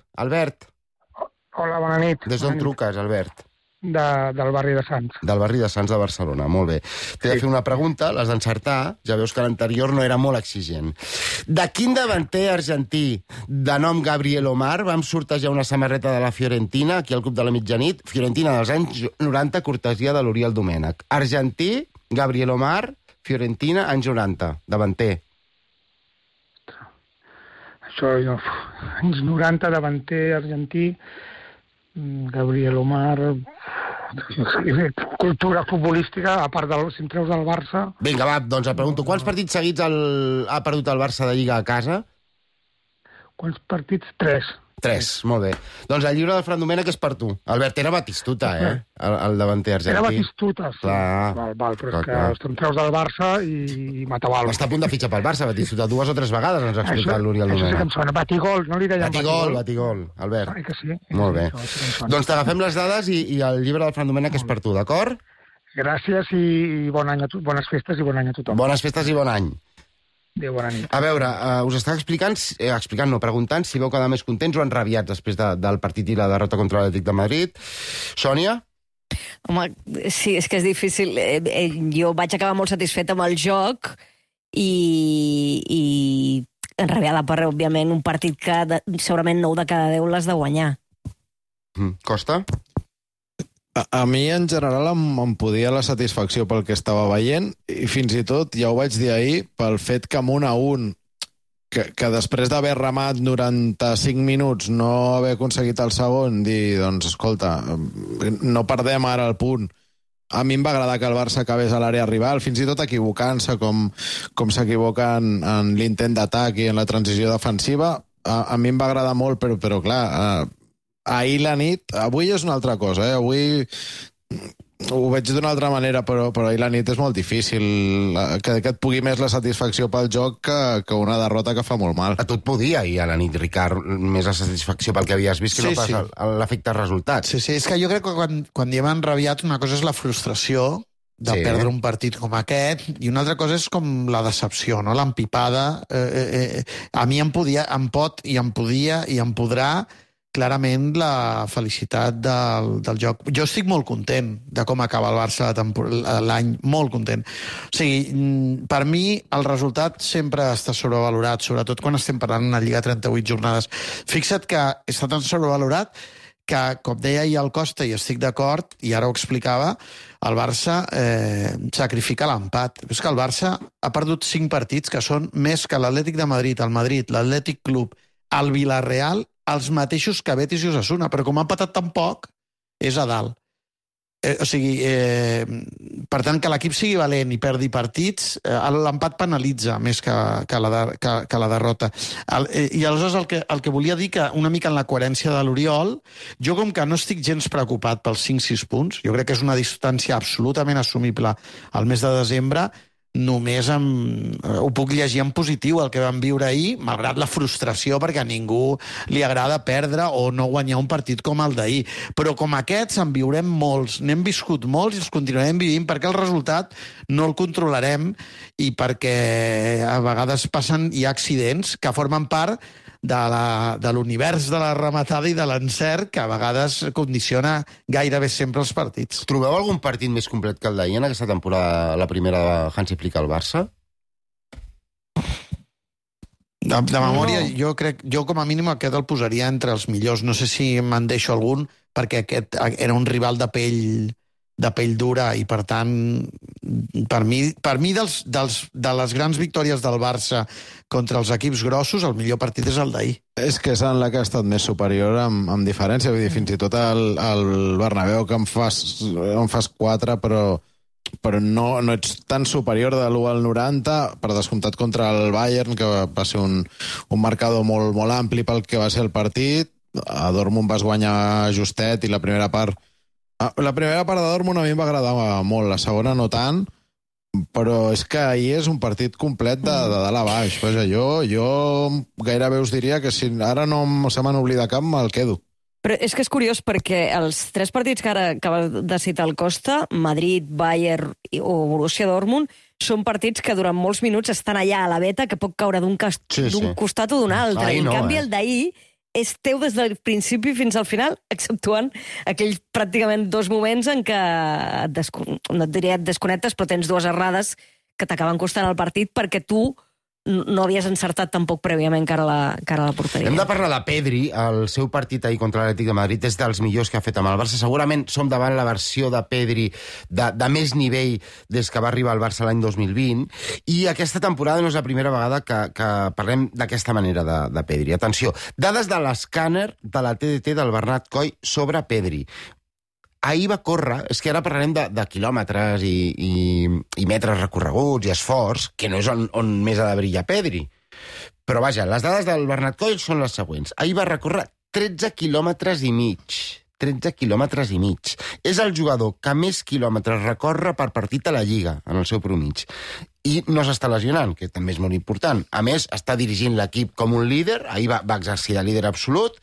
Hola, bona nit. Des d'on truques, Albert? Del barri de Sants. Del barri de Sants de Barcelona, molt bé. T'he de fer una pregunta, l'has d'encertar, ja veus que l'anterior no era molt exigent. De quin davanter argentí de nom Gabriel Omar vam sortejar una samarreta de la Fiorentina, aquí al Club de la Mitjanit, Fiorentina dels anys 90, cortesia de l'Oriol Domènech. Argentí, Gabriel Omar, Fiorentina, anys 90, davanter. Això, anys 90, davanter argentí, Gabriel Omar, cultura futbolística, a part si em treus del Barça... Vinga, va, doncs et pregunto, quants partits seguits ha perdut el Barça de Lliga a casa? Quants partits? 3. 3, molt bé. Doncs el llibre del Fran Domènech és per tu. Albert, era Batistuta, el davanter argentí. Era Batistuta, sí. Clar. Val, però és que em treus del Barça i Mataval. Està a punt de fitxar pel Barça, Batistuta. 2 o 3 vegades ens ha explicat l'Oriol Domènech. Això sí que em sona. Batigol, no li deien Batigol, Albert. Ai, que sí. Molt bé. Doncs t'agafem les dades i el llibre del Fran Domènech és per tu, d'acord? Gràcies i bon any bones festes i bon any a tothom. Bones festes i bon any. Adéu, bona nit. A veure, us està preguntant si veu quedar més contents o enrabiats després del partit i la derrota contra l'Atlètic de Madrid. Sònia? Home, sí, és que és difícil. Jo vaig acabar molt satisfeta amb el joc i enrabiada per, òbviament, un partit que segurament 9 de cada 10 l'has de guanyar. Costa? A mi, en general, em podia la satisfacció pel que estava veient i fins i tot, ja ho vaig dir ahir, pel fet que amb 1-1, que després d'haver remat 95 minuts no haver aconseguit el segon, dir, doncs, escolta, no perdem ara el punt. A mi em va agradar que el Barça acabés a l'àrea rival, fins i tot equivocant-se com s'equivoca en l'intent d'atac i en la transició defensiva. A mi em va agradar molt, però clar... Ahir la nit, avui és una altra cosa, avui ho veig d'una altra manera, però ahir la nit és molt difícil que et pugui més la satisfacció pel joc que una derrota que fa molt mal. A tu et podia ahir a la nit, Ricard, més la satisfacció pel que havies vist que no pas l'efecte resultat. Sí, és que jo crec que quan diem enrabiat una cosa és la frustració de perdre un partit com aquest, i una altra cosa és com la decepció, no? L'empipada. A mi em pot i em podia i em podrà clarament la felicitat del joc. Jo estic molt content de com acaba el Barça l'any, molt content. O sigui, per mi el resultat sempre està sobrevalorat, sobretot quan estem parlant d'una Lliga 38 jornades. Fixa't que està tan sobrevalorat que, com deia ahir el Costa, i estic d'acord, i ara ho explicava, el Barça sacrifica l'empat. És que el Barça ha perdut 5 partits que són més que l'Atlètic de Madrid, el Madrid, l'Atlètic Club, el Villarreal, els mateixos que Betis i Osasuna, però com ha patat tan poc, és a dalt. O sigui, per tant, que l'equip sigui valent i perdi partits, l'empat penalitza més que la derrota. I aleshores el que volia dir, que una mica en la coherència de l'Oriol, jo com que no estic gens preocupat pels 5-6 punts, jo crec que és una distància absolutament assumible al mes de desembre, només ho puc llegir en positiu, el que vam viure ahir, malgrat la frustració, perquè a ningú li agrada perdre o no guanyar un partit com el d'ahir. Però com aquests en viurem molts, n'hem viscut molts i els continuarem vivint, perquè el resultat no el controlarem i perquè a vegades hi ha accidents que formen part de l'univers de la rematada i de l'encert, que a vegades condiciona gairebé sempre els partits. Trobeu algun partit més complet que el d'ahir en aquesta temporada, la primera de Hansi Flick al Barça? De memòria, jo com a mínim aquest el posaria entre els millors. No sé si me'n deixo algun, perquè aquest era un rival de pell dura i, per tant, per mi de les grans victòries del Barça contra els equips grossos, el millor partit és el d'ahir. És que és en la que ha estat més superior amb diferència. Vull dir, fins i tot el Bernabéu, que em fas 4, però no ets tan superior de l'1 al 90, per descomptat contra el Bayern, que va ser un marcador molt, molt ampli pel que va ser el partit. A Dortmund vas guanyar justet i la primera part de Dortmund a mi em va agradar molt, la segona no tant, però és que ahir és un partit complet de dalt a baix. Jo gairebé us diria que si ara no se m'han oblidat cap, me'l quedo. Però és que és curiós perquè els 3 partits que ara acaba de citar el Costa, Madrid, Bayern o Borussia Dortmund, són partits que durant molts minuts estan allà a la veta, que pot caure d'un costat o d'un altre. En canvi, el d'ahir és teu des del principi fins al final, exceptuant aquells pràcticament 2 moments en què no et diria et desconnectes, però tens 2 errades que t'acaben costant el partit perquè tu no havies encertat tampoc prèviament cara a la porteria. Hem de parlar de Pedri. El seu partit ahir contra l'Atlètic de Madrid és dels millors que ha fet amb el Barça. Segurament som davant la versió de Pedri de més nivell des que va arribar al Barça l'any 2020, i aquesta temporada no és la primera vegada que parlem d'aquesta manera de Pedri. Atenció, dades de l'escàner de la TDT del Bernat Coll sobre Pedri. Ahir va córrer, és que ara parlarem de quilòmetres i metres recorreguts i esforç, que no és on més ha de brillar Pedri. Però vaja, les dades del Bernat Coll són les següents. Ahir va recórrer 13 quilòmetres i mig. 13 quilòmetres i mig. És el jugador que més quilòmetres recorre per partit a la Lliga, en el seu promig. I no s'està lesionant, que també és molt important. A més, està dirigint l'equip com un líder, ahir va exercir de líder absolut.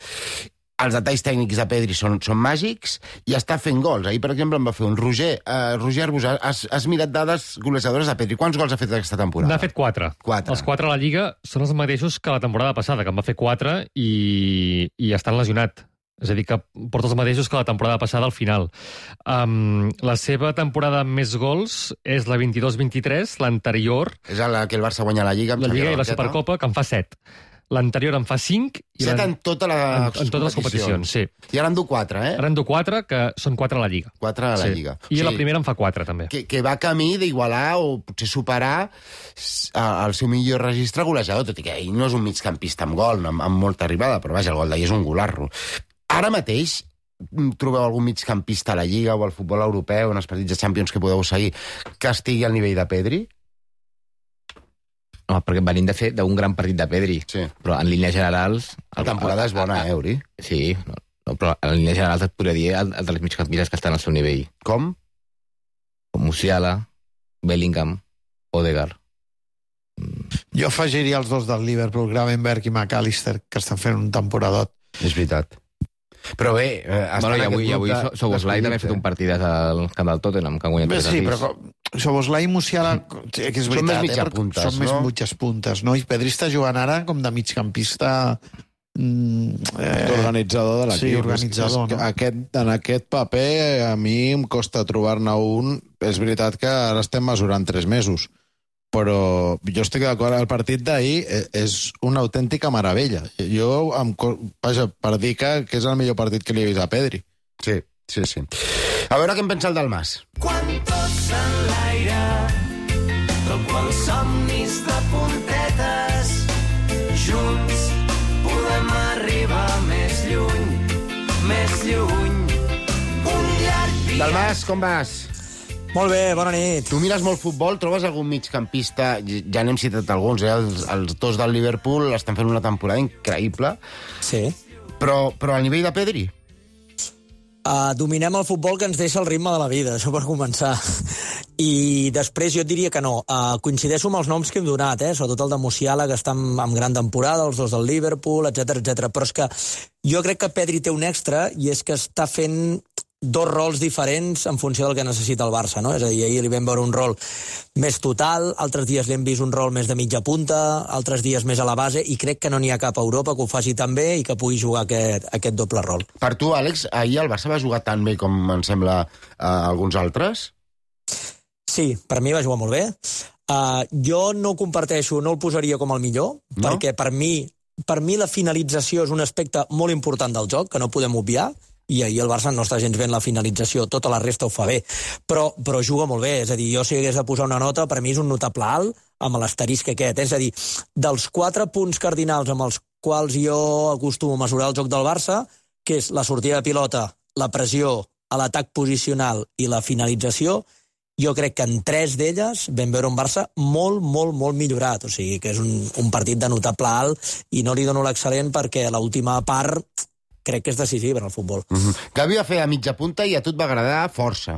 Els detalls tècnics de Pedri són màgics i està fent gols. Ahir, per exemple, en va fer un Roger Arbusà. Has mirat dades golejadores de Pedri. Quants gols ha fet aquesta temporada? N'ha fet 4. Els 4 a la Lliga són els mateixos que la temporada passada, que en va fer 4 i estan lesionat. És a dir, que porta els mateixos que la temporada passada al final. La seva temporada amb més gols és la 22-23, l'anterior... És la que el Barça guanya la Lliga. La Lliga i la Supercopa, que en fa 7. L'anterior en fa 5... 7 en totes les competicions, sí. I ara en du 4, eh? Ara en du 4, que són 4 a la Lliga. 4 a la Lliga. I la primera en fa 4, també. Que va camí d'igualar o potser superar el seu millor registre golejador, tot i que ell no és un migcampista amb gol, amb molta arribada, però vaja, el gol d'ahir és un golarro. Ara mateix trobeu algun migcampista a la Lliga o al futbol europeu, en els partits de Champions que podeu seguir, que estigui al nivell de Pedri? No, perquè venim de fer d'un gran partit de Pedri. Sí. Però en línies generals... La temporada és bona, Uri? Sí, però en línies generals et podria dir el dels migcampistes que estan al seu nivell. Com? Musiala, Bellingham, Odegaard. Jo afegiria els dos del Liverpool, Gravenberch i McAllister, que estan fent un temporadot. És veritat. Però bé... I avui Szoboszlai també ha fet un partidet al camp del Tottenham, que ha guanyat 3-6. Sí, però Szoboszlai i Musiala, que és veritat, són més mitjapuntes, són més mitges puntes, no? I Pedri està jugant ara com de migcampista... organitzador de l'equip. Sí, organitzador, no? En aquest paper a mi em costa trobar-ne un. És veritat que ara estem mesurant 3 mesos, però jo estic d'acord, el partit d'ahir és una autèntica meravella. Vaja, per dir que és el millor partit que li he vist a Pedri. Sí. A veure què en pensa el Dalmas. Quan tots en l'aire, com els somnis de puntetes, junts podem arribar més lluny, un llarg viatge. Dalmas, com vas? Molt bé, bona nit. Tu mires molt futbol, trobes algun migcampista, ja n'hem citat alguns, els dos del Liverpool estan fent una temporada increïble. Sí. Però al nivell de Pedri? Dominem el futbol que ens deixa el ritme de la vida, això per començar. I després jo et diria que no. Coincideixo amb els noms que hem donat, sobretot el de Musiala, que està en gran temporada, els dos del Liverpool, etc. Però és que jo crec que Pedri té un extra, i és que està fent dos rols diferents en funció del que necessita el Barça, no? És a dir, ahir li vam veure un rol més total, altres dies li hem vist un rol més de mitja punta, altres dies més a la base, i crec que no n'hi ha cap a Europa que ho faci tan bé i que pugui jugar aquest doble rol. Per tu, Àlex, ahir el Barça va jugar tan bé com em sembla alguns altres? Sí, per mi va jugar molt bé. Jo no ho comparteixo, no el posaria com el millor, perquè per mi la finalització és un aspecte molt important del joc, que no podem obviar, i ahir el Barça no està gens bé en la finalització, tota la resta ho fa bé, però juga molt bé, és a dir, jo si hagués de posar una nota, per mi és un notable alt, amb l'asterisc aquest, és a dir, dels 4 punts cardinals amb els quals jo acostumo a mesurar el joc del Barça, que és la sortida de pilota, la pressió, l'atac posicional i la finalització, jo crec que en 3 d'elles vam veure un Barça molt, molt, molt millorat, o sigui que és un partit de notable alt, i no li dono l'excel·lent perquè l'última part crec que és decisiva en el futbol. Gavi va fer a mitja punta i a tu et va agradar força.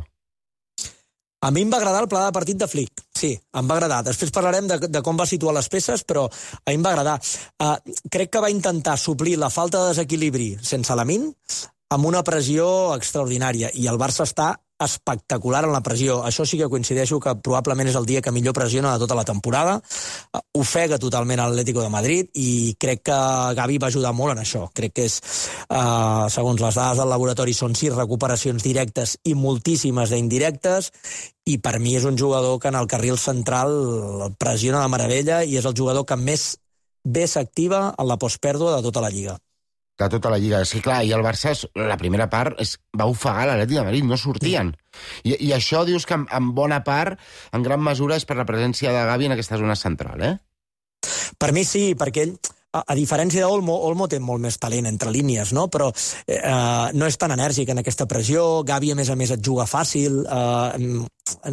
A mi em va agradar el pla de partit de Flick, sí, em va agradar. Després parlarem de com va situar les peces, però a mi em va agradar. Crec que va intentar suplir la falta de desequilibri sense Lamine amb una pressió extraordinària, i el Barça està espectacular en la pressió. Això sí que coincideixo que probablement és el dia que millor pressiona de tota la temporada. Ofega totalment l'Atlético de Madrid i crec que Gavi va ajudar molt en això. Crec que és, segons les dades del laboratori, són 6 recuperacions directes i moltíssimes d'indirectes, i per mi és un jugador que en el carril central pressiona de meravella i és el jugador que més bé s'activa en la postpèrdua de tota la Lliga. De tota la Lliga. És que, clar, i el Barça, la primera part, va ofegar l'Atlètic de Madrid, no sortien. I això dius que en bona part, en gran mesura, és per la presència de Gavi en aquesta zona central, eh? Per mi sí, perquè ell, a diferència d'Olmo té molt més talent entre línies, no? Però no és tan enèrgic en aquesta pressió. Gavi, a més, et juga fàcil,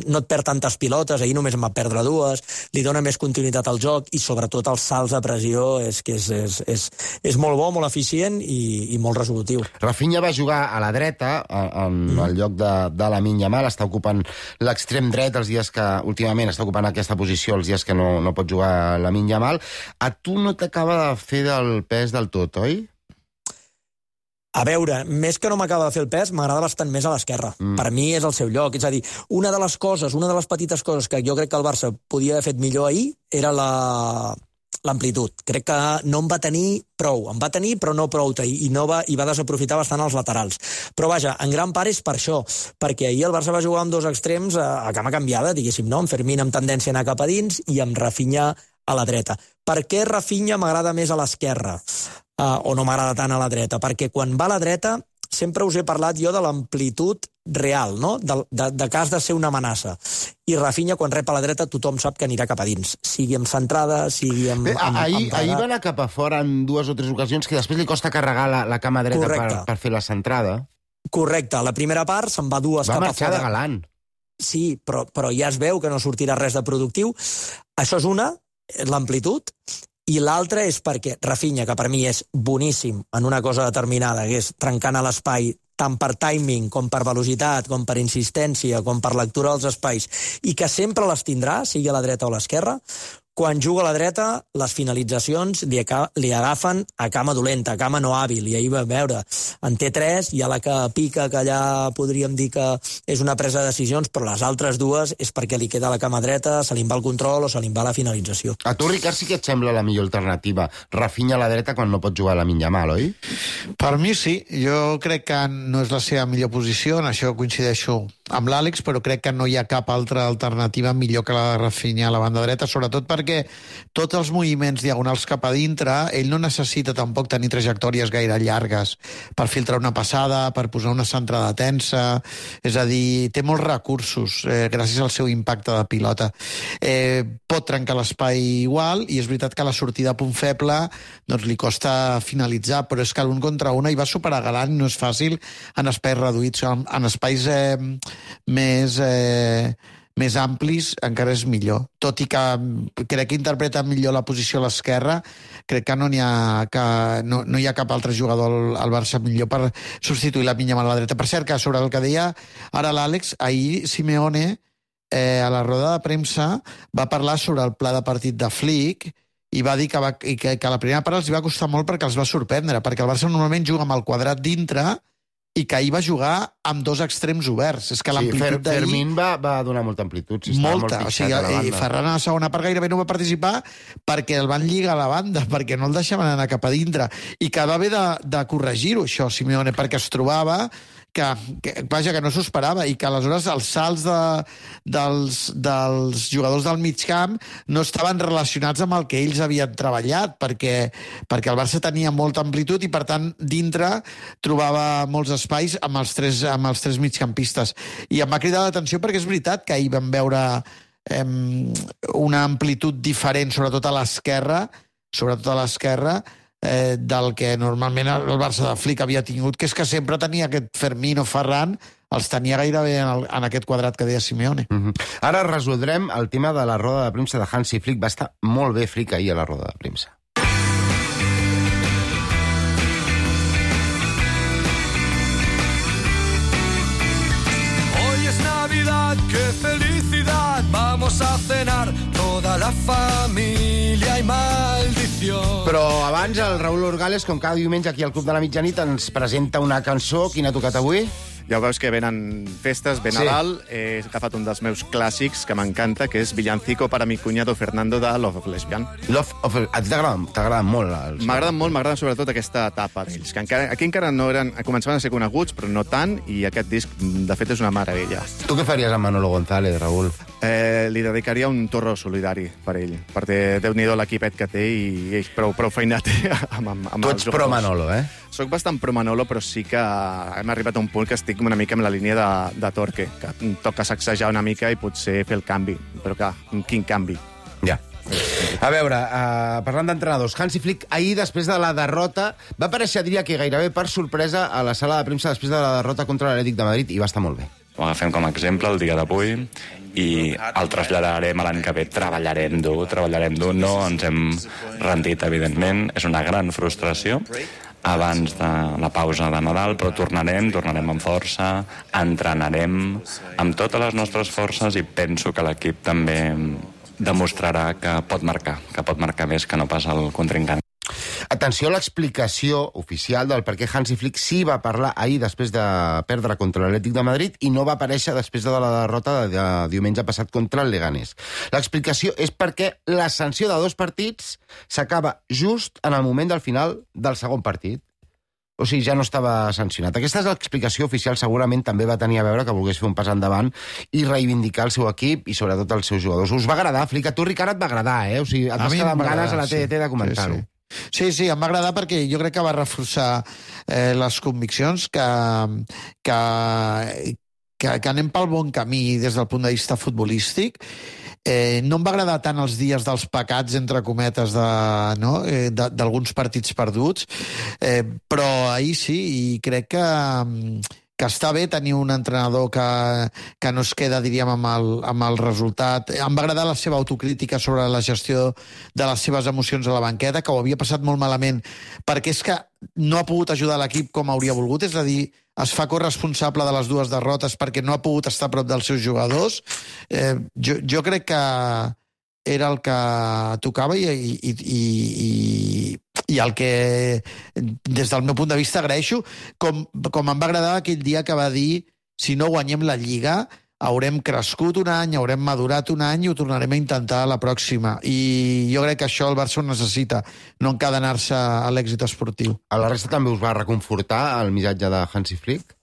no et perd tantes pilotes, ahir només en va perdre 2, li dona més continuïtat al joc i sobretot els salts de pressió és molt bo, molt eficient i molt resolutiu. Rafinha va jugar a la dreta en el lloc de Lamine Yamal, està ocupant l'extrem dret els dies que últimament està ocupant aquesta posició els dies que no pot jugar Lamine Yamal. A tu no t'acaba de fer del pes del tot, oi? A veure, més que no m'acaba de fer el pes, m'agrada bastant més a l'esquerra. Per mi és el seu lloc. És a dir, una de les petites coses que jo crec que el Barça podia haver fet millor ahir era l'amplitud. Crec que no en va tenir prou. En va tenir, però no prou, i va desaprofitar bastant els laterals. Però vaja, en gran part és per això, perquè ahir el Barça va jugar amb 2 extrems a cama canviada, diguéssim, no? Amb Fermín amb tendència a anar cap a dins i amb Rafinha a la dreta. Per què Rafinha m'agrada més a l'esquerra? O no m'agrada tant a la dreta? Perquè quan va a la dreta sempre us he parlat jo de l'amplitud real, no? De que has de ser una amenaça. I Rafinha, quan rep a la dreta, tothom sap que anirà cap a dins. Sigui amb centrada, sigui amb... Ahir va anar cap a fora en 2 o 3 ocasions que després li costa carregar la cama dreta per fer la centrada. Correcte. La primera part se'n va 2 cap a fora. Va marxar de galant. Sí, però ja es veu que no sortirà res de productiu. Això és una, l'amplitud, i l'altra és perquè Rafinha, que per mi és boníssim en una cosa determinada, que és trencant a l'espai tant per timing, com per velocitat, com per insistència, com per lectura dels espais, i que sempre les tindrà, sigui a la dreta o a l'esquerra, quan juga a la dreta, les finalitzacions li agafen a cama dolenta, a cama no hàbil, i ahir va veure, en té 3, hi ha la que pica, que allà podríem dir que és una presa de decisions, però les altres 2 és perquè li queda la cama dreta, se li va el control o se li va la finalització. A tu, Ricard, sí que et sembla la millor alternativa Rafinha a la dreta quan no pot jugar a Lamine Yamal, oi? Per mi sí, jo crec que no és la seva millor posició, en això coincideixo amb l'Àlex, però crec que no hi ha cap altra alternativa millor que la de Rafinha a la banda dreta, sobretot perquè tots els moviments diagonals cap a dintre, ell no necessita tampoc tenir trajectòries gaire llargues per filtrar una passada, per posar una centrada tensa, és a dir, té molts recursos gràcies al seu impacte de pilota. Pot trencar l'espai igual, i és veritat que la sortida a punt feble doncs li costa finalitzar, però és que l'un contra una hi va superar galant, no és fàcil en espais reduïts, en espais més amplis encara és millor. Tot i que crec que interpreta millor la posició a l'esquerra, crec que no hi ha cap altre jugador al Barça millor per substituir la Yamal a la dreta. Per cert, que sobre el que deia ara l'Àlex, ahir Simeone a la roda de premsa va parlar sobre el pla de partit de Flick i va dir que la primera part els va costar molt perquè els va sorprendre, perquè el Barça normalment juga amb el quadrat dintre i que ahir va jugar amb 2 extrems oberts. És que l'amplitud d'ahir... Fermín va donar molta amplitud. Molta. O sigui, Ferran a la segona part gairebé no va participar perquè el van lligar a la banda, perquè no el deixaven anar cap a dintre. I que va haver de corregir-ho, això, Simeone, perquè es trobava que no s'ho esperava, i que aleshores els salts dels jugadors del mig camp no estaven relacionats amb el que ells havien treballat, perquè el Barça tenia molta amplitud i, per tant, dintre trobava molts espais amb els tres migcampistes. I em va cridar l'atenció perquè és veritat que ahir vam veure una amplitud diferent, sobretot a l'esquerra, del que normalment el Barça de Flick havia tingut, que és que sempre tenia aquest Fermín o Ferran, els tenia gairebé en aquest quadrat que deia Simeone. Ara resoldrem el tema de la roda de premsa de Hansi Flick. Va estar molt bé Flick ahir a la roda de premsa. Hoy es Navidad, qué felicidad, vamos a cenar toda la familia y maldición. Però abans el Raúl Orgales, com cada diumenge aquí al Club de la Mitjanit, ens presenta una cançó. Quina ha tocat avui? Ja ho veus que venen festes, ve Nadal, he agafat un dels meus clàssics que m'encanta, que és Villancico para mi cuñado Fernando de Love of Lesbian. T'agraden molt? M'agrada sobretot aquesta etapa d'ells, que aquí encara no començaven a ser coneguts, però no tant, i aquest disc, de fet, és una meravella. Tu què faries amb Manolo González, Raül? Li dedicaria un torro solidari per ell, perquè Déu-n'hi-do l'equipet que té i ell prou feinat amb tu ets pro Manolo, eh? Soc bastant pro Manolo, però sí que hem arribat a un punt que estic una mica en la línia de Torque, que toca sacsejar una mica i potser fer el canvi. Però clar, quin canvi? Ja. A veure, parlant d'entrenadors, Hansi Flick ahir, després de la derrota, va aparèixer, diria que gairebé per sorpresa, a la sala de premsa després de la derrota contra l'Atlètic de Madrid, i va estar molt bé. Ho agafem com a exemple el dia d'avui i el traslladarem a l'any que ve. Treballarem dur, no ens hem rendit, evidentment. És una gran frustració abans de la pausa de Nadal, però tornarem amb força, entrenarem amb totes les nostres forces i penso que l'equip també demostrarà que pot marcar més que no pas el contrincant. Atenció a l'explicació oficial del per què Hansi Flick sí va parlar ahir després de perdre contra l'Atlètic de Madrid i no va aparèixer després de la derrota de diumenge passat contra el Leganés. L'explicació és perquè la sanció de 2 partits s'acaba just en el moment del final del segon partit. O sigui, ja no estava sancionat. Aquesta és l'explicació oficial. Segurament també va tenir a veure que volgués fer un pas endavant i reivindicar el seu equip i sobretot els seus jugadors. Us va agradar, Flick? A tu, Ricard, et va agradar, eh? O sigui, et vas quedar amb ganes a la TDT de comentar-ho. Sí, em va agradar perquè jo crec que va reforçar les conviccions que anem pel bon camí des del punt de vista futbolístic. No em va agradar tant els dies dels pecats, entre cometes, d'alguns partits perduts, però ahir sí, i crec que està bé tenir un entrenador que no es queda, diríem, amb el resultat. Em va agradar la seva autocrítica sobre la gestió de les seves emocions a la banqueta, que ho havia passat molt malament, perquè és que no ha pogut ajudar l'equip com hauria volgut, és a dir, es fa corresponsable de les 2 derrotes perquè no ha pogut estar a prop dels seus jugadors. Jo crec que era el que tocava i el que, des del meu punt de vista, agraeixo, com em va agradar aquell dia que va dir si no guanyem la Lliga haurem crescut un any, haurem madurat un any i ho tornarem a intentar a la pròxima. I jo crec que això el Barça ho necessita, no encadenar-se a l'èxit esportiu. A la resta també us va reconfortar el missatge de Hansi Flick?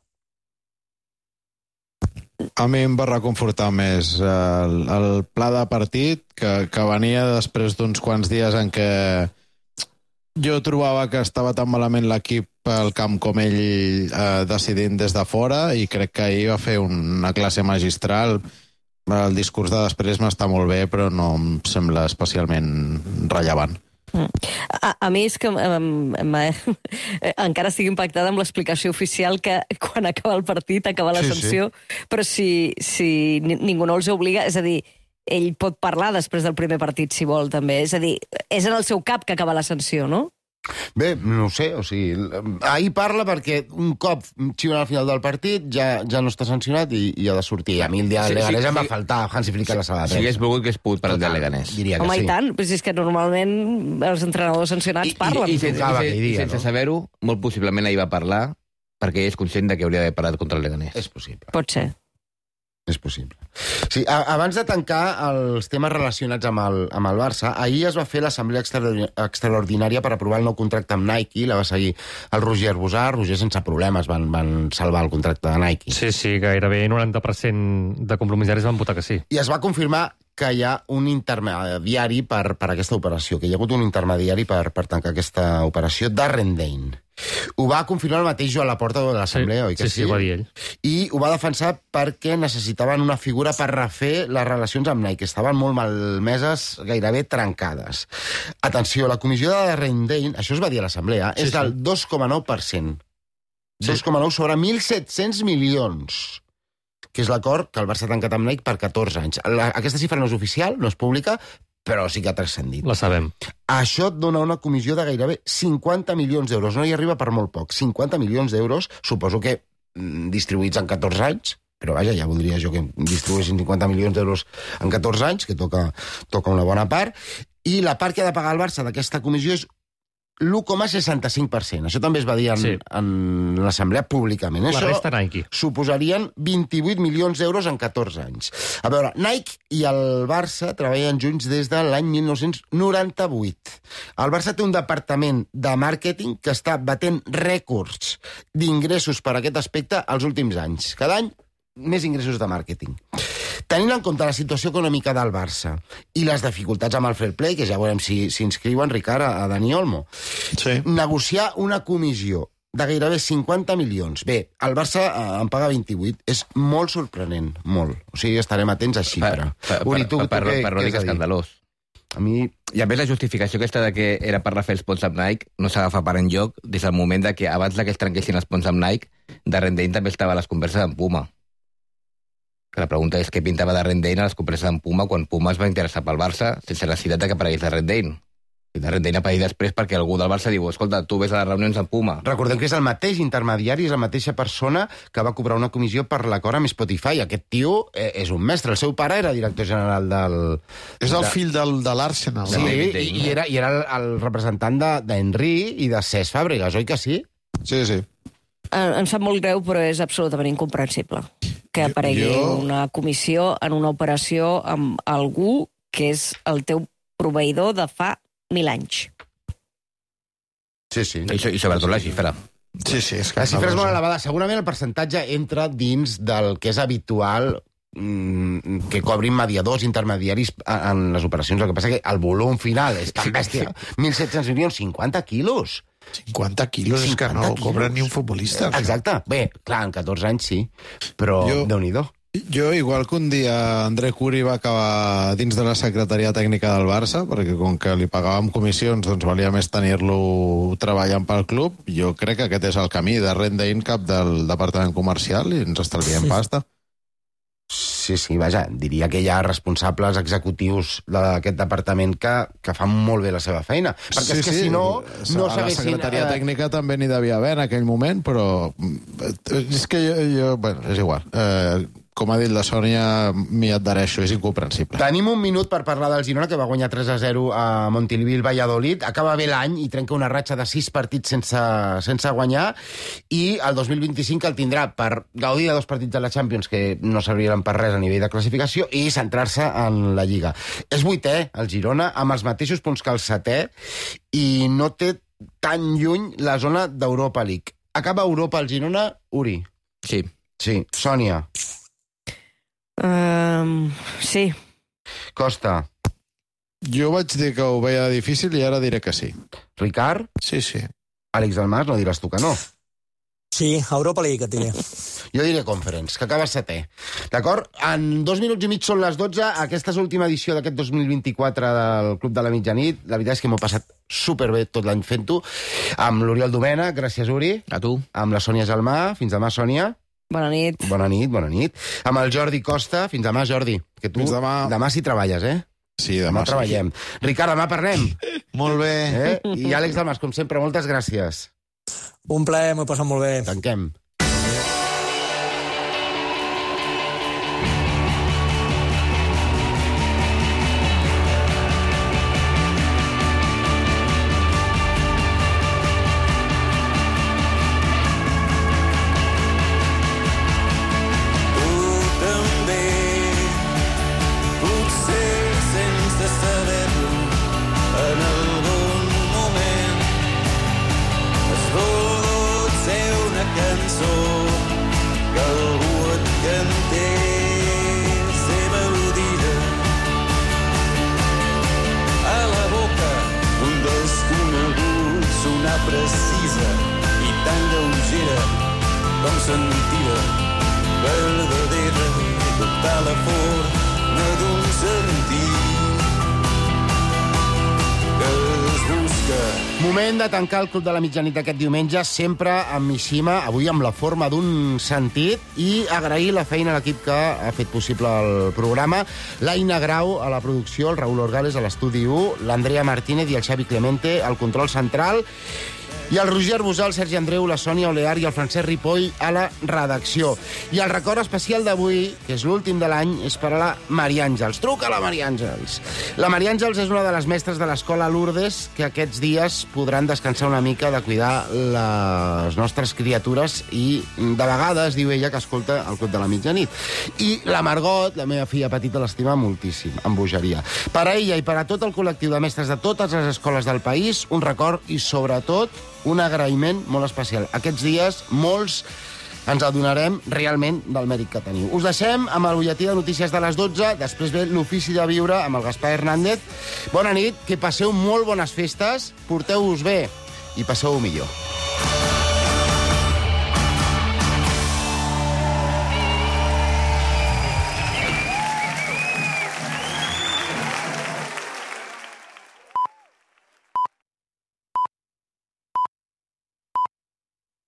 A mi em va reconfortar més el pla de partit que venia després d'uns quants dies en què jo trobava que estava tan malament l'equip al camp com ell decidint des de fora i crec que ahir va fer una classe magistral. El discurs de després m'està molt bé, però no em sembla especialment rellevant. A mi és que encara estic impactada amb l'explicació oficial que quan acaba el partit acaba la sanció, però si ningú no els obliga, és a dir, ell pot parlar després del primer partit si vol també, és a dir, és en el seu cap que acaba la sanció, no? Bé, no ho sé, o sigui, ahir parla perquè un cop xiulen al final del partit ja no està sancionat i ha de sortir. A mi el dia del Leganés em va faltar Hansi Flick a la sala de premsa. Si hagués volgut que es pogut per al dia del Leganés. Home, i tant, però és que normalment els entrenadors sancionats parlen. I sense saber-ho, molt possiblement ahir va parlar perquè és conscient de que hauria d'haver parlat contra el Leganés. És possible. Pot ser. És possible. Sí, abans de tancar els temes relacionats amb el Barça, ahir es va fer l'assemblea extraordinària per aprovar el nou contracte amb Nike, la va seguir el Roger Arbusà. Roger sense problemes van salvar el contracte de Nike. Sí, gairebé 90% de compromissaris van votar que sí. I es va confirmar que hi ha un intermediari per aquesta operació, que hi ha hagut un intermediari per tancar aquesta operació, Darren Dane. Ho va confirmar el mateix Joan Laporta de l'Assemblea, oi que sí? Sí, ho va dir ell. I ho va defensar perquè necessitaven una figura per refer les relacions amb Nike, que estaven molt malmeses, gairebé trencades. Atenció, la comissió de Darren Dane, això es va dir a l'Assemblea, és del 2,9%. 2,9 sobre 1.700 milions. Que és l'acord que el Barça ha tancat amb Nike per 14 anys. Aquesta xifra no és oficial, no és pública, però sí que ha transcendit. La sabem. Això et dona una comissió de gairebé 50 milions d'euros. No hi arriba per molt poc. 50 milions d'euros, suposo que distribuïts en 14 anys, però vaja, ja voldria jo que distribuïssin 50 milions d'euros en 14 anys, que toca una bona part, i la part que ha de pagar el Barça d'aquesta comissió és l'1,65%. Això també es va dir en l'assemblea públicament. La resta Nike. Suposarien 28 milions d'euros en 14 anys. A veure, Nike i el Barça treballen junts des de l'any 1998. El Barça té un departament de màrqueting que està batent rècords d'ingressos per aquest aspecte els últims anys. Cada any, més ingressos de màrqueting. Tenint en compte la situació econòmica del Barça i les dificultats amb el fair play, que ja veurem si inscriuen, Ricard, a Dani Olmo, negociar una comissió de gairebé 50 milions. Bé, el Barça en paga 28. És molt sorprenent, molt. O sigui, estarem atents a xifra. Per l'únic escandalós. A mi... I a més la justificació aquesta de que era per refer els ponts amb Nike no s'agafa per enlloc des del moment de que abans que es trenquessin els ponts amb Nike, Darren Dane també estava a les converses amb Puma. Que la pregunta és què pintava Darren Dane a les converses amb Puma quan Puma es va interessar pel Barça sense la necessitat que aparegués Darren Dane. I Darren Dane apareix després perquè algú del Barça diu escolta, tu ves a les reunions amb Puma. Recordem que és el mateix intermediari, és la mateixa persona que va cobrar una comissió per l'acord amb Spotify. Aquest tio és un mestre. El seu pare era director general del... És el fill de l'Arsenal. Sí, i era el representant d'Henry i de Cesc Fàbregas, oi que sí? Sí, sí. Em sap molt greu, però és absolutament incomprensible que aparegui una comissió en una operació amb algú que és el teu proveïdor de fa 1000 anys. Sí, sí. I sobretot la xifra. Sí, sí. La xifra és molt elevada. Segurament el percentatge entra dins del que és habitual que cobrin mediadors, intermediaris en les operacions. El que passa que el volum final és tan bèstia. 1.700 milions, 50 quilos. 50 quilos és que no cobren ni un futbolista. Exacte. Bé, clar, en 14 anys sí, però Déu-n'hi-do. Jo, igual que un dia André Curi va acabar dins de la secretaria tècnica del Barça, perquè com que li pagàvem comissions, doncs valia més tenir-lo treballant pel club, jo crec que aquest és el camí de renda in-cap del departament comercial i ens estalviem pasta. Sí, vaja, diria que hi ha responsables executius d'aquest departament que fan molt bé la seva feina. Perquè és que si no a la secretaria tècnica també n'hi devia haver en aquell moment, però és que bueno, és igual. Com ha dit la Sònia, m'hi adhereixo, és incomprensible. Tenim un minut per parlar del Girona, que va guanyar 3-0 a Montilivi el Valladolid. Acaba bé l'any i trenca una ratxa de 6 partits sense guanyar, i el 2025 el tindrà per gaudir de 2 partits de la Champions que no serviran per res a nivell de classificació i centrar-se en la Lliga. És 8è, el Girona, amb els mateixos punts que el 7è, i no té tan lluny la zona d'Europa League. Acaba Europa el Girona, Uri? Sí. Sí. Sònia? Sí. Costa? Jo vaig dir que ho veia difícil i ara diré que sí. Ricard? Sí, sí. Àlex Dalmas, no diràs tu que no. Sí, Europa League et diré. Jo diré Conference, que acaba 7è. D'acord? En 2 minuts i mig són les 12. Aquesta és l'última edició d'aquest 2024 del Club de la Mitjanit. La veritat és que m'ho he passat superbé tot l'any fent-ho. Amb l'Oriol Domènech, gràcies, Uri. A tu. Amb la Sònia Gelmà. Fins demà, Sònia. Bona nit. Bona nit. Amb el Jordi Costa. Fins demà, Jordi. Que tu demà sí treballes, eh? Sí, demà treballem. Ricard, demà parlem. Molt bé. I Àlex Dalmas, com sempre, moltes gràcies. Un plaer, m'ho he passat molt bé. Tanquem. Precisa i tan lleugera com sentida, verdadera, tota la forma d'un sentit que es busca. Moment de tancar el Club de la Mitjanit aquest diumenge, sempre amb Mishima, avui amb la forma d'un sentit, i agrair la feina a l'equip que ha fet possible el programa, l'Aina Grau a la producció, el Raül Orgales a l'estudi 1, l'Andrea Martínez i el Xavi Clemente al control central. I el Roger Arbusà, el Sergi Andreu, la Sònia Olear i el Francesc Ripoll a la redacció. I el record especial d'avui, que és l'últim de l'any, és per a la Maria Àngels. Truca a la Maria Àngels. La Maria Àngels és una de les mestres de l'escola Lourdes que aquests dies podran descansar una mica de cuidar les nostres criatures i de vegades diu ella que escolta el Club de la Mitjanit. I la Margot, la meva filla petita, l'estima moltíssim, amb bogeria. Per a ella i per a tot el col·lectiu de mestres de totes les escoles del país, un record i, sobretot, un agraïment molt especial. Aquests dies, molts ens adonarem realment del mèrit que teniu. Us deixem amb el butlletí de notícies de les 12, després ve l'Ofici de Viure amb el Gaspar Hernández. Bona nit, que passeu molt bones festes, porteu-vos bé i passeu-ho millor.